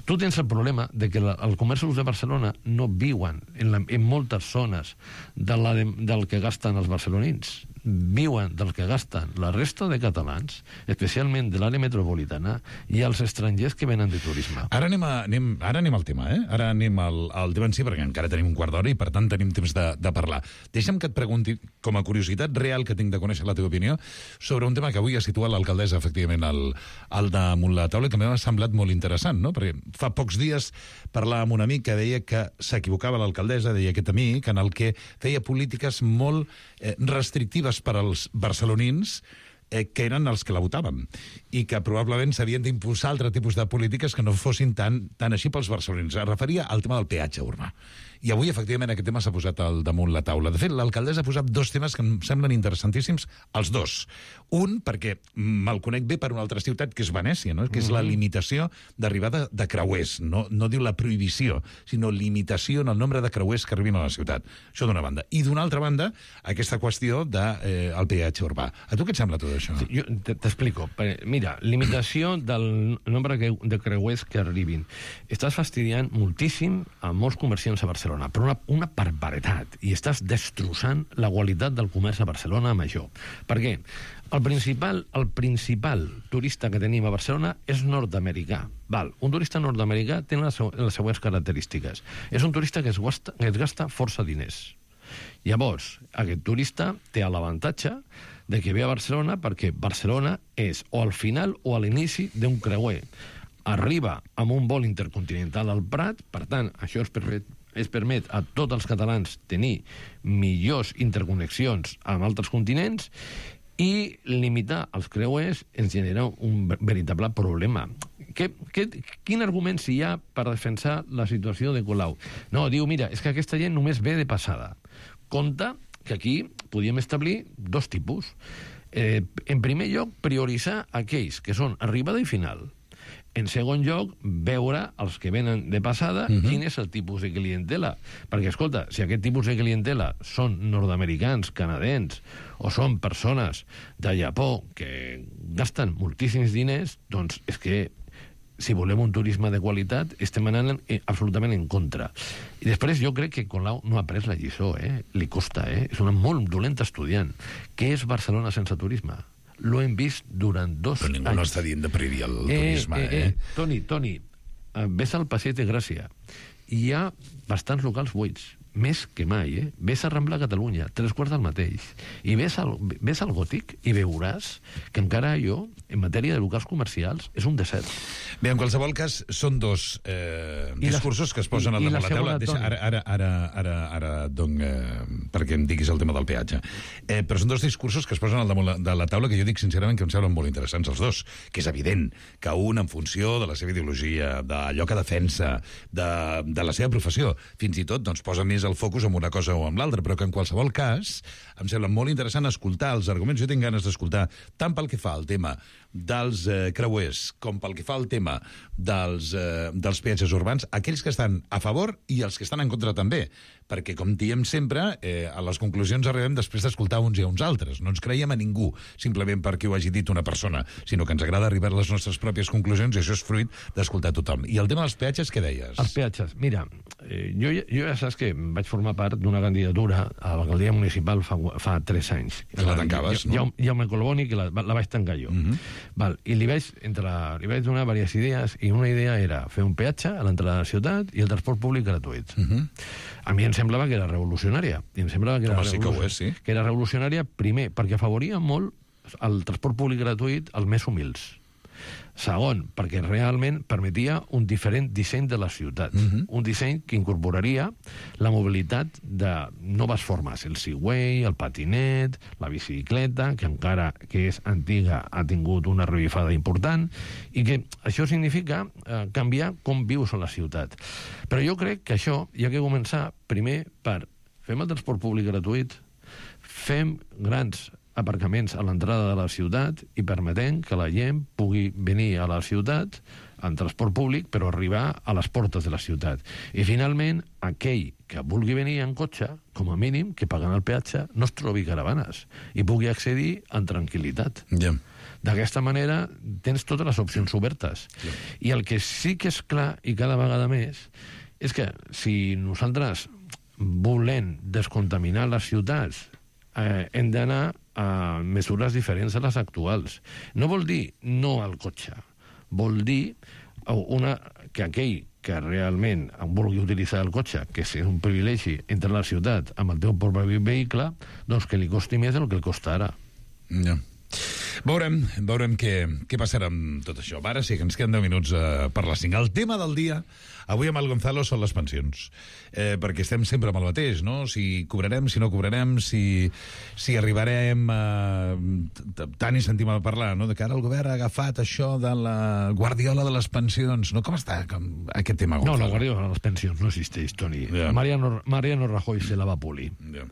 Speaker 14: Tu tens el problema de que la, els comerços de Barcelona no viuen en, la, en moltes zones de la, de, del que gasten els barcelonins. Viuen del que gasten la resta de catalans, especialment de l'àrea metropolitana, i els estrangers que venen de turisme.
Speaker 9: Ara anem, a, anem, ara anem al tema, eh? Ara anem al, al tema en si, perquè encara tenim un quart d'hora i, per tant, tenim temps de, de parlar. Deixa'm que et pregunti, com a curiositat real que tinc de conèixer la teva opinió, sobre un tema que avui ha situat l'alcaldessa, efectivament, al, al damunt la taula, que m'ha semblat molt interessant, no? Perquè fa pocs dies parlava amb un amic que deia que s'equivocava l'alcaldessa, deia aquest amic, en el que feia polítiques molt eh, restrictives per als barcelonins eh, que eren els que la votaven i que probablement s'havien d'impulsar altre tipus de polítiques que no fossin tan, tan així pels barcelonins. Es referia al tema del peatge urbà. I avui, efectivament, aquest tema s'ha posat al damunt la taula. De fet, l'alcaldessa ha posat dos temes que em semblen interessantíssims, els dos. Un, perquè me'l conec bé per una altra ciutat, que és Venècia, no? Que és la limitació d'arribada de creuers. No, no diu la prohibició, sinó limitació en el nombre de creuers que arribin a la ciutat. Això d'una banda. I d'una altra banda, aquesta qüestió del de, eh, peatge urbà. A tu què et sembla tot això?
Speaker 14: Sí, jo t'explico. Mira, limitació del nombre de creuers que arribin. Estàs fastidiant moltíssim a molts comerciants a Barcelona, però una, una barbaritat, i estàs destrossant la qualitat del comerç a Barcelona amb això. Per què? El principal, el principal turista que tenim a Barcelona és nord-americà. Val, un turista nord-americà té les, les següents característiques. És un turista que es gasta, que es gasta força diners. Llavors, aquest turista té l'avantatge de que ve a Barcelona perquè Barcelona és o al final o a l'inici d'un creuer. Arriba amb un vol intercontinental al Prat, per tant, això es permet, es permet a tots els catalans tenir millors interconnexions amb altres continents, i limitar els creuers ens genera un veritable problema. Que, que, quin argument s'hi ha per defensar la situació de Colau? No, diu, mira, és que aquesta gent només ve de passada. Compte que aquí podíem establir dos tipus. Eh, en primer lloc, prioritzar aquells que són arribada i final. En segon lloc, veure els que venen de passada uh-huh. quin és el tipus de clientela. Perquè, escolta, si aquest tipus de clientela són nord-americans, canadencs, o són persones de Japó que gasten moltíssims diners, doncs és que si volem un turisme de qualitat, estem anant eh, absolutament en contra. I després jo crec que Colau no ha pres la lliçó, eh? Li costa, eh? És una molt dolenta estudiant. Què és Barcelona sense turisme? Lo hem vist durant dos
Speaker 9: Però ningú
Speaker 14: anys.
Speaker 9: no està dient de prohibir el
Speaker 14: eh,
Speaker 9: turisme, eh?
Speaker 14: eh, eh? Toni, Toni, eh, ves al Passeig de Gràcia. Hi ha bastants locals buits, més que mai, eh? Ves a Rambla Catalunya, tres quarts del mateix. I ves al, ves al Gòtic i veuràs que encara allò, en matèria de locals comercials, és un desert.
Speaker 9: Bé, en qualsevol cas, són dos eh, discursos que es posen
Speaker 14: i,
Speaker 9: al
Speaker 14: i
Speaker 9: damunt la, la taula.
Speaker 14: segona,
Speaker 9: Deixa, ara, ara, ara, ara, ara donc, eh, perquè em diguis el tema del peatge. Eh, però són dos discursos que es posen al damunt la, de la taula que jo dic sincerament que em semblen molt interessants els dos, que és evident que un, en funció de la seva ideologia, d'allò que defensa, de, de la seva professió, fins i tot doncs, posa més el focus en una cosa o en l'altra, però que en qualsevol cas em sembla molt interessant escoltar els arguments. Jo tinc ganes d'escoltar tant pel que fa al tema dels eh, creuers com pel que fa al tema dels, eh, dels peatges urbans, aquells que estan a favor i els que estan en contra també, perquè, com diem sempre, eh, a les conclusions arribem després d'escoltar uns i a uns altres. No ens creiem a ningú, simplement perquè ho hagi dit una persona, sinó que ens agrada arribar a les nostres pròpies conclusions i això és fruit d'escoltar tothom. I el tema dels peatges, què deies?
Speaker 14: Els peatges, mira, eh, jo, jo ja saps que vaig formar part d'una candidatura a l'alcaldia municipal fa, fa tres anys.
Speaker 9: Que la tancaves,
Speaker 14: ja,
Speaker 9: no?
Speaker 14: Jaume Colboni, que la, la vaig tancar jo.
Speaker 9: Uh-huh.
Speaker 14: Val, i li vaig, entre la, li vaig donar diverses idees, i una idea era fer un peatge a l'entrada de la ciutat i el transport públic gratuït.
Speaker 9: Uh-huh.
Speaker 14: A mi em semblava que era revolucionària. I em semblava que era,
Speaker 9: Home, sí que ho és, sí.
Speaker 14: que era revolucionària, primer, perquè afavoria molt el transport públic gratuït als més humils. Segon, perquè realment permetia un diferent disseny de la ciutat.
Speaker 9: Uh-huh.
Speaker 14: Un disseny que incorporaria la mobilitat de noves formes. El Segway, el patinet, la bicicleta, que encara que és antiga ha tingut una revifada important, i que això significa eh, canviar com vius a la ciutat. Però jo crec que això hi ha que començar primer per fem el transport públic gratuït, Fem grans aparcaments a l'entrada de la ciutat i permetem que la gent pugui venir a la ciutat en transport públic, però arribar a les portes de la ciutat. I, finalment, aquell que vulgui venir en cotxe, com a mínim, que pagant el peatge, no es trobi caravanes i pugui accedir en tranquil·litat.
Speaker 9: Yeah.
Speaker 14: D'aquesta manera tens totes les opcions obertes. Yeah. I el que sí que és clar, i cada vegada més, és que si nosaltres volem descontaminar les ciutats, eh, hem d'anar a mesures diferents a les actuals. No vol dir no al cotxe, vol dir una, que aquell que realment vulgui utilitzar el cotxe, que és un privilegi entrar a la ciutat amb el teu propi vehicle, doncs que li costi més del que el costa ara.
Speaker 9: Ja. Veurem, veurem què, què passarà amb tot això. Ara sí que ens queden deu minuts eh, per les cinc. El tema del dia, avui amb el Gonzalo, són les pensions. Eh, perquè estem sempre amb el mateix, no? Si cobrarem, si no cobrarem, si, si arribarem a... Tant hi sentim a parlar, no? De que ara el govern ha agafat això de la guardiola de les pensions. No? Com està com, aquest tema, Gonzalo?
Speaker 14: No, la guardiola de les pensions no existeix, Toni. Yeah. Mariano, Mariano Rajoy se la va polir. Yeah.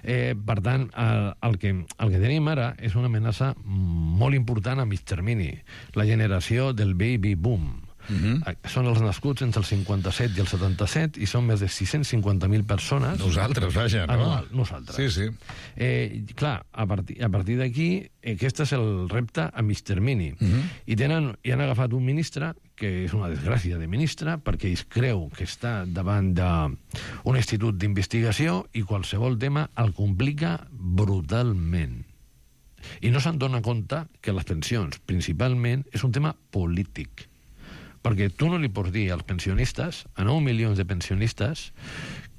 Speaker 14: Eh, per tant, el, el, que, el que tenim ara és una amenaça molt important a mig termini, la generació del baby boom. Uh-huh. Són els nascuts entre el cinquanta-set i el setanta-set i són més de sis-cents cinquanta mil persones.
Speaker 9: Nosaltres, vaja, no?
Speaker 14: Anual, nosaltres.
Speaker 9: Sí, sí.
Speaker 14: Eh, clar, a partir, a partir d'aquí, aquest és el repte a mig termini. Uh-huh. I, tenen, i han agafat un ministre que és una desgràcia de ministre, perquè es creu que està davant d'un institut d'investigació i qualsevol tema el complica brutalment. I no se'n dona compte que les pensions, principalment, és un tema polític. Perquè tu no li pots dir als pensionistes, a nou milions de pensionistes,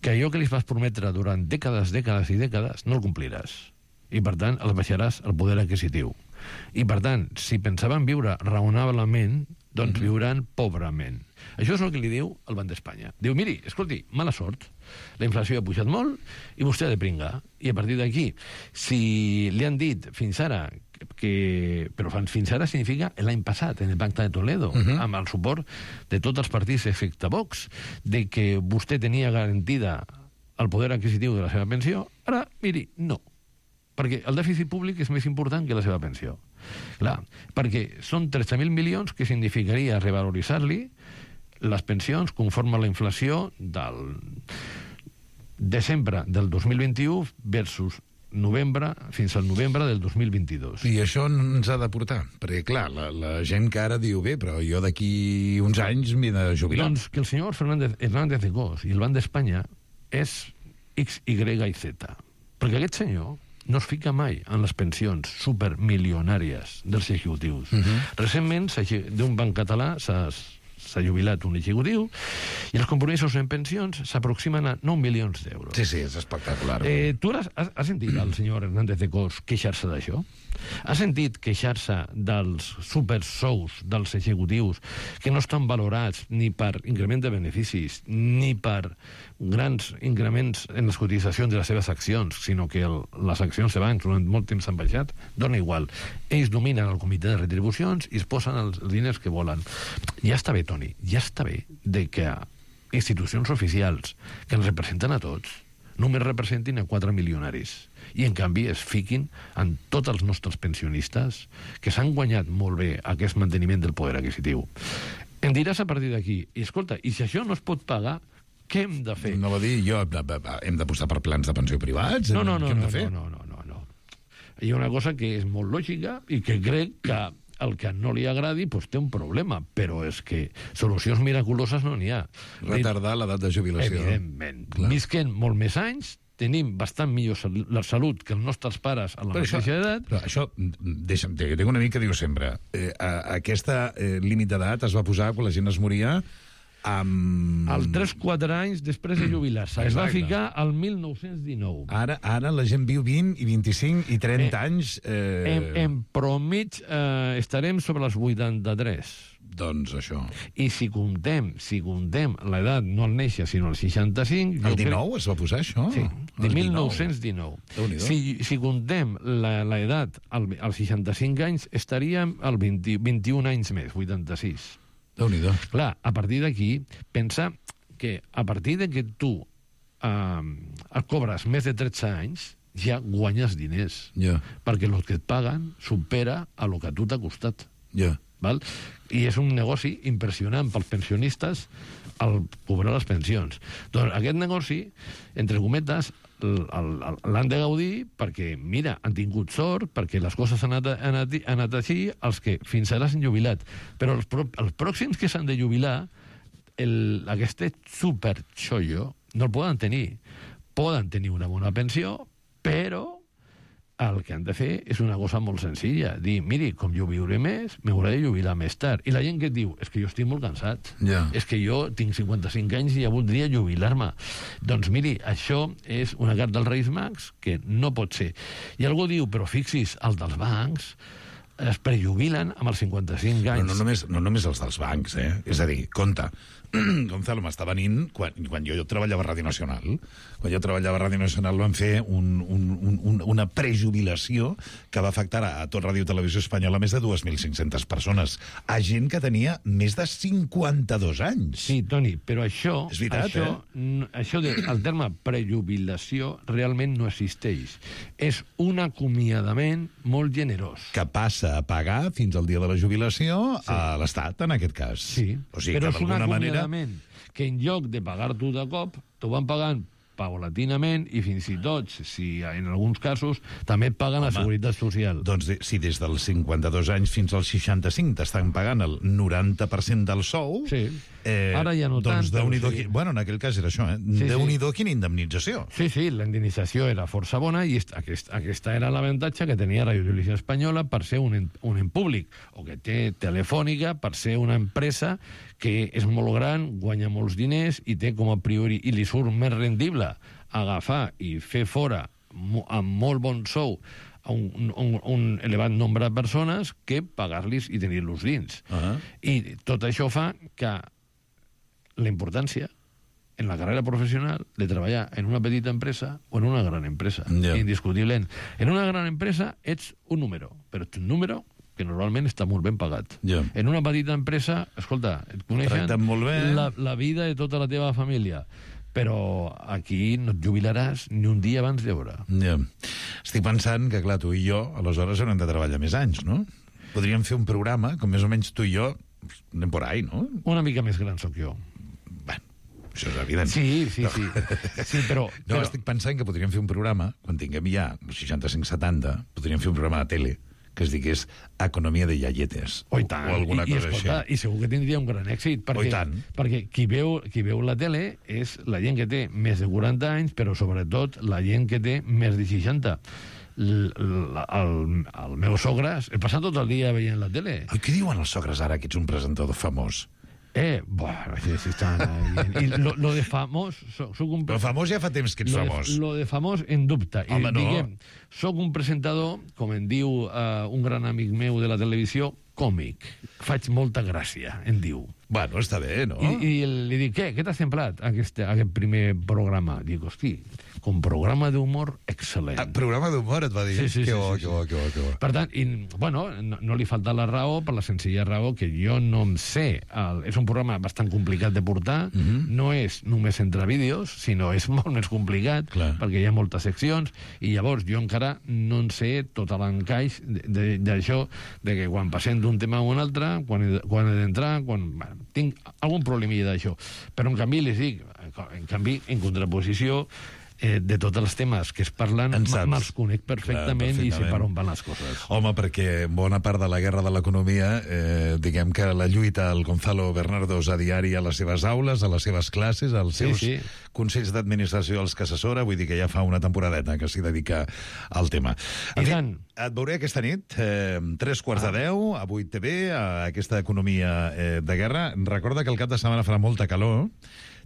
Speaker 14: que allò que li vas prometre durant dècades, dècades i dècades, no el compliràs. I, per tant, els baixaràs el poder adquisitiu. I, per tant, si pensaven viure raonablement, doncs mm-hmm. viuran pobrament. Això és el que li diu el Banc d'Espanya. Diu, miri, escolti, mala sort, la inflació ha pujat molt i vostè ha de pringar. I a partir d'aquí, si li han dit fins ara que... Però fins ara significa l'any passat, en el Pacte de Toledo, uh-huh. amb el suport de tots els partits excepte Vox, de que vostè tenia garantida el poder adquisitiu de la seva pensió, ara, miri, no. Perquè el dèficit públic és més important que la seva pensió. Clar, perquè són tretze mil milions que significaria revaloritzar-li les pensions conforme a la inflació del desembre del dos mil vint-i-u versus novembre, fins al novembre del dos mil vint-i-dos.
Speaker 9: I això ens ha de portar, perquè, clar, la, la gent que ara diu, bé, però jo d'aquí uns anys m'he de jubilar.
Speaker 14: Doncs que el senyor Fernández, Hernández de Cos i el Banc d'Espanya és X, Y i Z. Perquè aquest senyor no es fica mai en les pensions supermilionàries dels executius. Uh-huh. Recentment, d'un banc català s'ha s'ha jubilat un executiu i els compromisos en pensions s'aproximen a nou milions d'euros.
Speaker 9: Sí, sí, és espectacular.
Speaker 14: Eh, tu has, has, has sentit el senyor Hernández de Cos queixar-se d'això? Has sentit queixar-se dels supersous dels executius que no estan valorats ni per increment de beneficis ni per grans increments en les cotitzacions de les seves accions, sinó que el, les accions abans durant molt temps s'han baixat? Dona igual. Ells dominen el comitè de retribucions i es posen els diners que volen. Ja està bé, Toni, ja està bé de que institucions oficials que ens representen a tots només representin a quatre milionaris i, en canvi, es fiquin en tots els nostres pensionistes que s'han guanyat molt bé aquest manteniment del poder adquisitiu. Em diràs a partir d'aquí, i escolta, i si això no es pot pagar, què hem de fer?
Speaker 9: No va dir, jo, hem d'apostar per plans de pensió privats?
Speaker 14: No, no, no,
Speaker 9: què hem
Speaker 14: no,
Speaker 9: de fer?
Speaker 14: no, no, no, no. Hi ha una cosa que és molt lògica i que crec que el que no li agradi pues, té un problema, però és que solucions miraculoses no n'hi ha.
Speaker 9: Retardar l'edat de jubilació.
Speaker 14: Evidentment. Clar. Visquem molt més anys, tenim bastant millor la salut que els nostres pares a la
Speaker 9: però
Speaker 14: mateixa
Speaker 9: això,
Speaker 14: edat.
Speaker 9: Però això, deixa'm, tinc un amic que diu sempre, eh, aquesta eh, límit d'edat es va posar quan la gent es moria amb...
Speaker 14: Al tres quatre anys després de jubilar-se. Es va ficar al mil nou-cents dinou.
Speaker 9: Ara, ara la gent viu vint i vint-i-cinc i trenta eh, anys... Eh...
Speaker 14: En, en promig eh, estarem sobre els vuitanta-tres.
Speaker 9: Doncs això.
Speaker 14: I si comptem, si comptem l'edat no al néixer, sinó al seixanta-cinc...
Speaker 9: El dinou crec... es va posar això?
Speaker 14: Sí, de mil nou-cents dinou. Si, si comptem l'edat al, als seixanta-cinc anys, estaríem al vint, vint-i-un anys més, vuitanta-sis.
Speaker 9: Déu-n'hi-do.
Speaker 14: Clar, a partir d'aquí, pensa que a partir de que tu eh, cobres més de tretze anys, ja guanyes diners.
Speaker 9: Yeah.
Speaker 14: Perquè el que et paguen supera a lo que a tu t'ha costat.
Speaker 9: Yeah.
Speaker 14: Val? I és un negoci impressionant pels pensionistes al cobrar les pensions. Doncs aquest negoci, entre cometes, l'han de gaudir perquè, mira, han tingut sort, perquè les coses han anat, han anat, han anat així, els que fins ara s'han jubilat. Però els, pro, els pròxims que s'han de jubilar, el, aquest superxollo no el poden tenir. Poden tenir una bona pensió, però el que han de fer és una cosa molt senzilla. Dir, miri, com jo viuré més, m'hauré de jubilar més tard. I la gent que et diu, és que jo estic molt cansat.
Speaker 9: Yeah.
Speaker 14: És que jo tinc cinquanta-cinc anys i ja voldria jubilar-me. Doncs miri, això és una carta dels Reis Mags que no pot ser. I algú diu, però fixis, el dels bancs es prejubilen amb els cinquanta-cinc anys.
Speaker 9: No, no, només, no només els dels bancs, eh? És a dir, compte, Gonzalo m'està venint quan, quan jo, jo treballava a Ràdio Nacional. Quan jo treballava a Ràdio Nacional vam fer un, un, un, una prejubilació que va afectar a tot Ràdio i Televisió Espanyola més de dos mil cinc-centes persones. A gent que tenia més de cinquanta-dos anys.
Speaker 14: Sí, Toni, però això...
Speaker 9: És veritat,
Speaker 14: això,
Speaker 9: eh?
Speaker 14: Això de, el terme prejubilació realment no existeix. És un acomiadament molt generós.
Speaker 9: Que passa a pagar fins al dia de la jubilació sí. a l'Estat, en aquest cas.
Speaker 14: Sí,
Speaker 9: o sigui,
Speaker 14: però
Speaker 9: que
Speaker 14: és un
Speaker 9: d'alguna manera
Speaker 14: que en lloc de pagar-t'ho de cop, t'ho van pagant paulatinament i fins i tot, si en alguns casos, també et paguen Home, la Seguretat Social.
Speaker 9: Doncs de, si des dels cinquanta-dos anys fins als seixanta-cinc t'estan pagant el noranta per cent del sou...
Speaker 14: Sí. Eh, Ara ja no
Speaker 9: doncs
Speaker 14: tant.
Speaker 9: Doncs
Speaker 14: sí.
Speaker 9: Bueno, en aquell cas era això, eh?
Speaker 14: Sí,
Speaker 9: Déu-n'hi-do
Speaker 14: sí.
Speaker 9: quina indemnització.
Speaker 14: Sí, sí, la indemnització era força bona i aquest, aquesta era l'avantatge que tenia Radio Televisió Espanyola per ser un, un en públic, o que té Telefònica per ser una empresa que és molt gran, guanya molts diners i té com a priori, i li surt més rendible agafar i fer fora amb molt bon sou a un, un, un elevat nombre de persones que pagar-los i tenir-los dins. Uh-huh. I tot això fa que la importància en la carrera professional de treballar en una petita empresa o en una gran empresa, yeah. indiscutiblement. En una gran empresa ets un número, però ets un número que normalment està molt ben pagat.
Speaker 9: Yeah.
Speaker 14: En una petita empresa, escolta, et coneixen
Speaker 9: molt bé.
Speaker 14: La, la vida de tota la teva família, però aquí no et jubilaràs ni un dia abans d'hora.
Speaker 9: Yeah. Estic pensant que, clar, tu i jo, aleshores haurem de treballar més anys, no? Podríem fer un programa, com més o menys tu i jo, anem por ahí, no?
Speaker 14: Una mica més gran sóc jo.
Speaker 9: Això és evident.
Speaker 14: Sí, sí, sí. sí però,
Speaker 9: no, però... estic pensant que podríem fer un programa, quan tinguem ja seixanta-cinc setanta, podríem fer un programa de tele que es digués Economia de Iaietes.
Speaker 14: Oh, i tant.
Speaker 9: O alguna
Speaker 14: I,
Speaker 9: cosa
Speaker 14: i, escolta,
Speaker 9: així.
Speaker 14: I segur que tindria un gran èxit. Perquè,
Speaker 9: oh, i tant.
Speaker 14: Perquè qui veu, qui veu la tele és la gent que té més de quaranta anys, però sobretot la gent que té més de seixanta. L, l, el, el meu sogre, he passat tot el dia veient la tele.
Speaker 9: Ai, què diuen els sogres ara, que ets un presentador famós?
Speaker 14: Eh, bueno, sí, sí, estan ahí. I lo, lo de famós... Soc, soc un...
Speaker 9: Però famós ja fa temps que ets
Speaker 14: lo
Speaker 9: famós.
Speaker 14: De, lo de famós en dubte.
Speaker 9: Home,
Speaker 14: I,
Speaker 9: no.
Speaker 14: Diguem, soc un presentador, com en diu uh, un gran amic meu de la televisió, còmic. Faig molta gràcia, en diu.
Speaker 9: Bueno, està bé, no?
Speaker 14: I, i li dic, què? Què t'ha semblat aquest, aquest primer programa? Dic, hosti, com programa d'humor excel·lent.
Speaker 9: Ah, programa d'humor, et va dir?
Speaker 14: Sí, sí,
Speaker 9: que
Speaker 14: sí,
Speaker 9: bo,
Speaker 14: sí,
Speaker 9: que bo, que bo, que bo.
Speaker 14: Per tant, i, bueno, no, no li falta la raó, per la senzilla raó que jo no em sé. El, és un programa bastant complicat de portar, uh -huh. no és només entre vídeos, sinó és molt més complicat, Clar. perquè hi ha moltes seccions, i llavors jo encara no en sé tot l'encaix d'això, de, de que quan passem d'un tema a un altre, quan he, quan he d'entrar, quan... Bueno, tinc algun problemilla d'això. Però, en canvi, les dic, en canvi, en contraposició, eh, de tots els temes que es parlen, me'ls conec perfectament, Clar, perfectament i sé per on van les coses.
Speaker 9: Home, perquè bona part de la guerra de l'economia, eh, diguem que la lluita el Gonzalo Bernardos a diari a les seves aules, a les seves classes, als seus sí, sí. consells d'administració als que assessora, vull dir que ja fa una temporadeta que s'hi dedica al tema.
Speaker 14: I tant.
Speaker 9: Et veuré aquesta nit, eh, tres quarts ah. de deu, a vuit T V, a aquesta economia eh, de guerra. Recorda que el cap de setmana farà molta calor.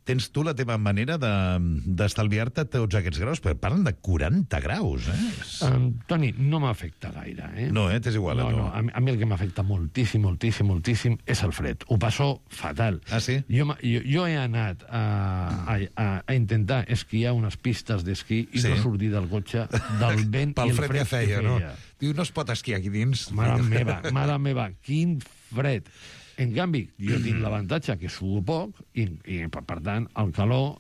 Speaker 9: Tens tu la teva manera d'estalviar-te de, tots aquests graus? Però parlen de quaranta graus, eh?
Speaker 14: Um, Toni, no m'afecta gaire, eh?
Speaker 9: No, eh? T'és igual,
Speaker 14: no,
Speaker 9: no?
Speaker 14: no. A, mi, a mi el que m'afecta moltíssim, moltíssim, moltíssim és el fred. Ho passo fatal.
Speaker 9: Ah, sí?
Speaker 14: Jo, jo, jo he anat a, a, a, a intentar esquiar unes pistes d'esquí i sí. no sortir del cotxe del vent
Speaker 9: Pel
Speaker 14: i el
Speaker 9: fred,
Speaker 14: fred
Speaker 9: que feia,
Speaker 14: que feia.
Speaker 9: No? Diu, no es pot esquiar aquí dins.
Speaker 14: Mare meva, mare meva, quin fred. En canvi, jo tinc l'avantatge que sudo poc i, i per tant, el calor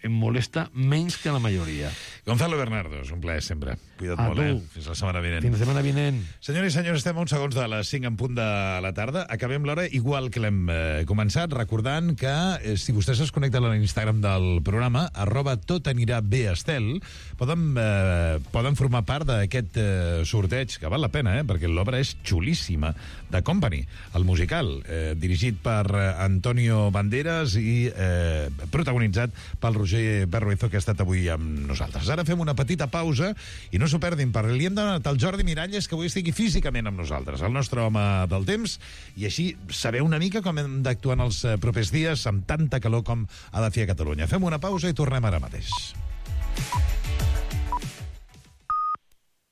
Speaker 14: em molesta menys que la majoria.
Speaker 9: Gonzalo Bernardo, és un plaer sempre. Cuida't
Speaker 14: A
Speaker 9: molt,
Speaker 14: tu.
Speaker 9: eh? Fins la setmana vinent.
Speaker 14: Fins la setmana vinent.
Speaker 9: Senyors i senyors, estem a uns segons de les cinc en punt de la tarda. Acabem l'hora igual que l'hem eh, començat, recordant que eh, si vostès es connecten a l'Instagram del programa, arroba tot anirà bé estel, poden, eh, poden formar part d'aquest eh, sorteig, que val la pena, eh, perquè l'obra és xulíssima, de Company, el musical, eh, dirigit per eh, Antonio Banderas i eh, protagonitzat pel Roger Berruezo, que ha estat avui amb nosaltres. Ara fem una petita pausa i no s'ho perdin, perquè li hem donat al Jordi Miralles que avui estigui físicament amb nosaltres, el nostre home del temps, i així saber una mica com hem d'actuar en els eh, propers dies amb tanta calor com ha de fer a Catalunya. Fem una pausa i tornem ara mateix.